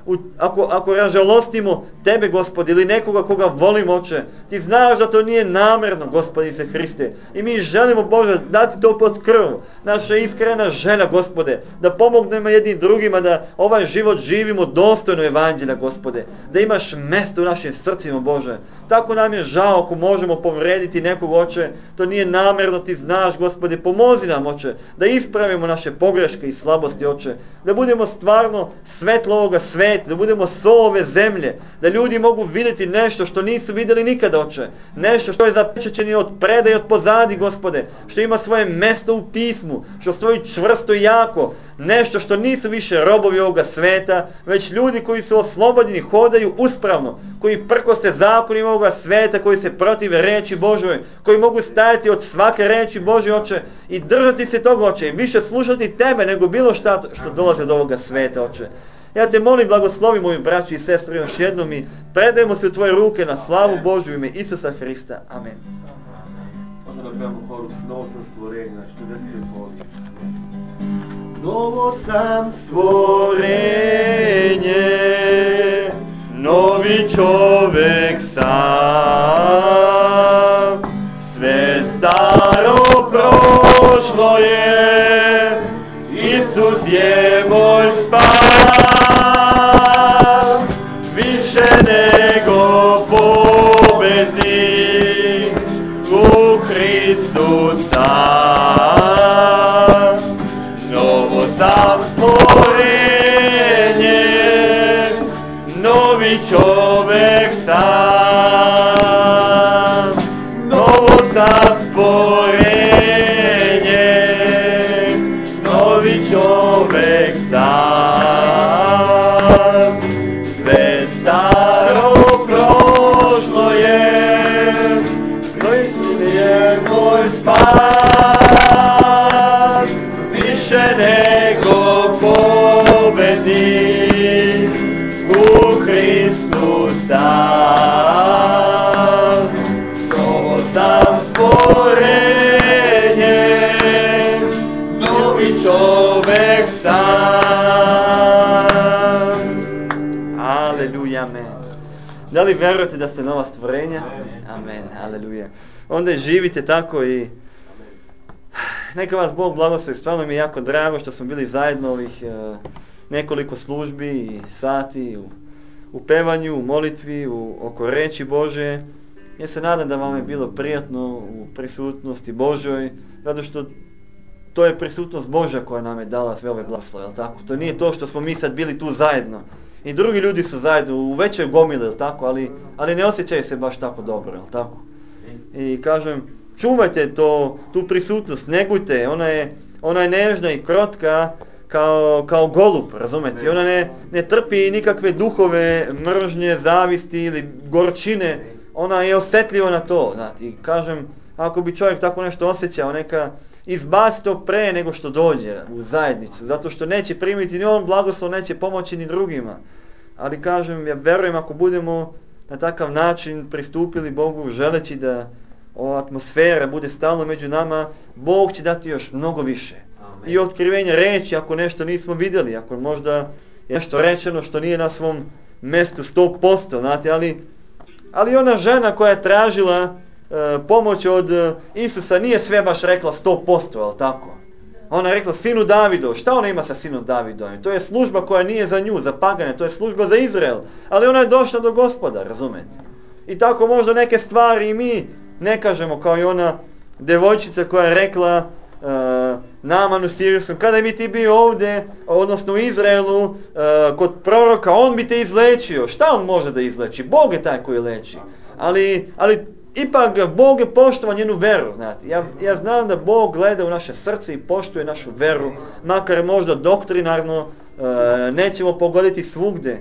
S1: ako ražalostimo Tebe, Gospode, ili nekoga koga volimo, Oče. Ti znaš da to nije namerno, Gospode Isuse Hriste. I mi želimo, Bože, dati to pod krv. Naša iskrena želja, Gospode, da pomognemo jedni drugima da ovaj život živimo dostojno evanđelja, Gospode. Da imaš mjesto u našim srcima, Bože. Tako nam je žao ako možemo povrediti nekog, Oče. To nije namjerno, Ti znaš, Gospode. Pomozi nam, Oče, da ispravimo naše pogreške i slabosti, Oče. Da budemo stvarno svetlo ovoga sveta, da budemo sol ove zemlje, da ljudi mogu vidjeti nešto što nisu vidjeli nikada, Oče. Nešto što je zapečaćeno od preda i od pozadi, Gospode. Što ima svoje mjesto u pismu, što stoji čvrsto i jako. Nešto što nisu više robovi ovoga sveta, već ljudi koji su oslobodeni, hodaju uspravno, koji prkose zakonima ovoga sveta, koji se protive reči Božoj, koji mogu stajati od svake reči Božje, Oče, i držati se toga, Oče, i više slušati Tebe nego bilo šta što dolazi od ovoga sveta, Oče. Ja Te molim, blagoslovi moju braću i sestru još jednom i predajemo se u Tvoje ruke na slavu Božju ime Isusa Hrista. Amen.
S2: Možemo da pevamo koru Novo sam stvorenje, znači 40 poli. Novo sam stvorenje, novi čovek sam, sve staro prošlo je, Isus je moj spas, više nego pobednik u Hristu sam. Novo sam stvorenje, novi čovek sam. Novo sam stvorenje, novi čovek sam. Sve staro prošlo je, Hristos je moj spas, više nego pobednik u Hristu sam. Novo sam stvorenje, novi čovek sam.
S1: Aleluja, amen. Da li verujete da ste nova stvorenja? Amen, aleluja. Onda živite tako i neka vas Bog blagoslovi. Stvarno mi je jako drago što smo bili zajedno ovih nekoliko službi i sati u pevanju, u molitvi, oko reči Bože. Ja se nadam da vam je bilo prijatno u prisutnosti Božoj, zato što to je prisutnost Božja koja nam je dala sve ove blagoslove, jel tako? To nije to što smo mi sad bili tu zajedno. I drugi ljudi su zajedno u većoj gomili, jel tako? Ali ne osjećaju se baš tako dobro, jel tako? I kažem, čuvajte tu prisutnost, negujte, ona je nežna i krotka kao golub, razumete? I ona ne trpi nikakve duhove, mržnje, zavisti ili gorčine. ona je osjetljiva na to, znate, i kažem, ako bi čovjek tako nešto osjećao, neka izbaci to pre nego što dođe u zajednicu, zato što neće primiti ni on blagoslov, neće pomoći ni drugima. Ali kažem, ja verujem ako budemo na takav način pristupili Bogu, želeći da ova atmosfera bude stalno među nama, Bog će dati još mnogo više. Amen. I otkrivenje reći, ako nešto nismo vidjeli, ako možda je nešto rečeno što nije na svom mjestu 100%, znate, ali ona žena koja je tražila pomoć od Isusa nije sve baš rekla 100%, ali tako? Ona je rekla sinu Davidov. Šta ona ima sa sinom Davidovim? To je služba koja nije za nju, za pagane, to je služba za Izrael. Ali ona je došla do Gospoda, razumete? I tako možda neke stvari i mi ne kažemo kao i ona devojčica koja je rekla Naamanu Sirijskom, kada bi ti bio ovdje, odnosno u Izraelu, kod proroka, on bi te izlečio. Šta on može da izleči? Bog je taj koji leči. Ali ipak Bog je poštovao njenu veru, znate. Ja znam da Bog gleda u naše srce i poštuje našu veru, makar možda doktrinarno nećemo pogoditi svugde.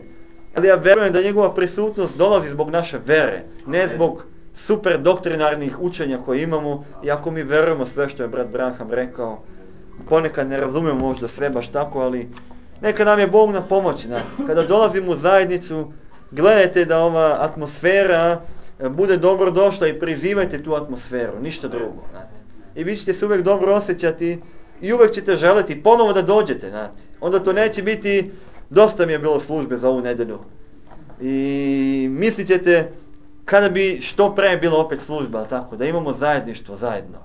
S1: Ali ja verujem da njegova prisutnost dolazi zbog naše vere, ne zbog super doktrinarnih učenja koje imamo, iako mi verujemo sve što je brat Branham rekao. Ponekad ne razumemo možda sve baš tako, ali neka nam je Bog na pomoći. Znate. Kada dolazimo u zajednicu, gledajte da ova atmosfera bude dobro došla i prizivajte tu atmosferu, ništa drugo. Znate. I vi ćete se uvijek dobro osjećati i uvijek ćete želiti ponovo da dođete. Znate. Onda to neće biti, dosta mi je bilo službe za ovu nedjelju. I mislit ćete, kada bi što pre bilo opet služba, tako, da imamo zajedništvo zajedno.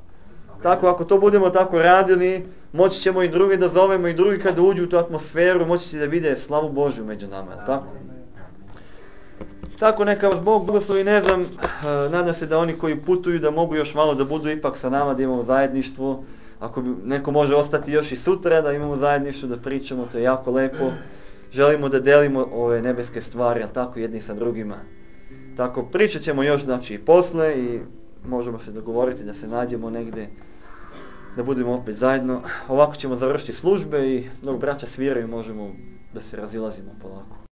S1: Tako, ako to budemo tako radili, moći ćemo i drugi da zovemo i drugi kada uđu u tu atmosferu, moći će da vide slavu Božju među nama, tako? Tako neka vas Bog blagoslovi, ne znam, nadam se da oni koji putuju da mogu još malo da budu ipak sa nama, da imamo zajedništvo. Ako bi neko može ostati još i sutra da imamo zajedništvo, da pričamo, to je jako lepo. Želimo da delimo ove nebeske stvari, ali tako jedni sa drugima. Tako, pričat ćemo još znači i posle i možemo se dogovoriti da se nađemo negdje, da budemo opet zajedno. Ovako ćemo završiti službe i dok braća sviraju možemo da se razilazimo polako.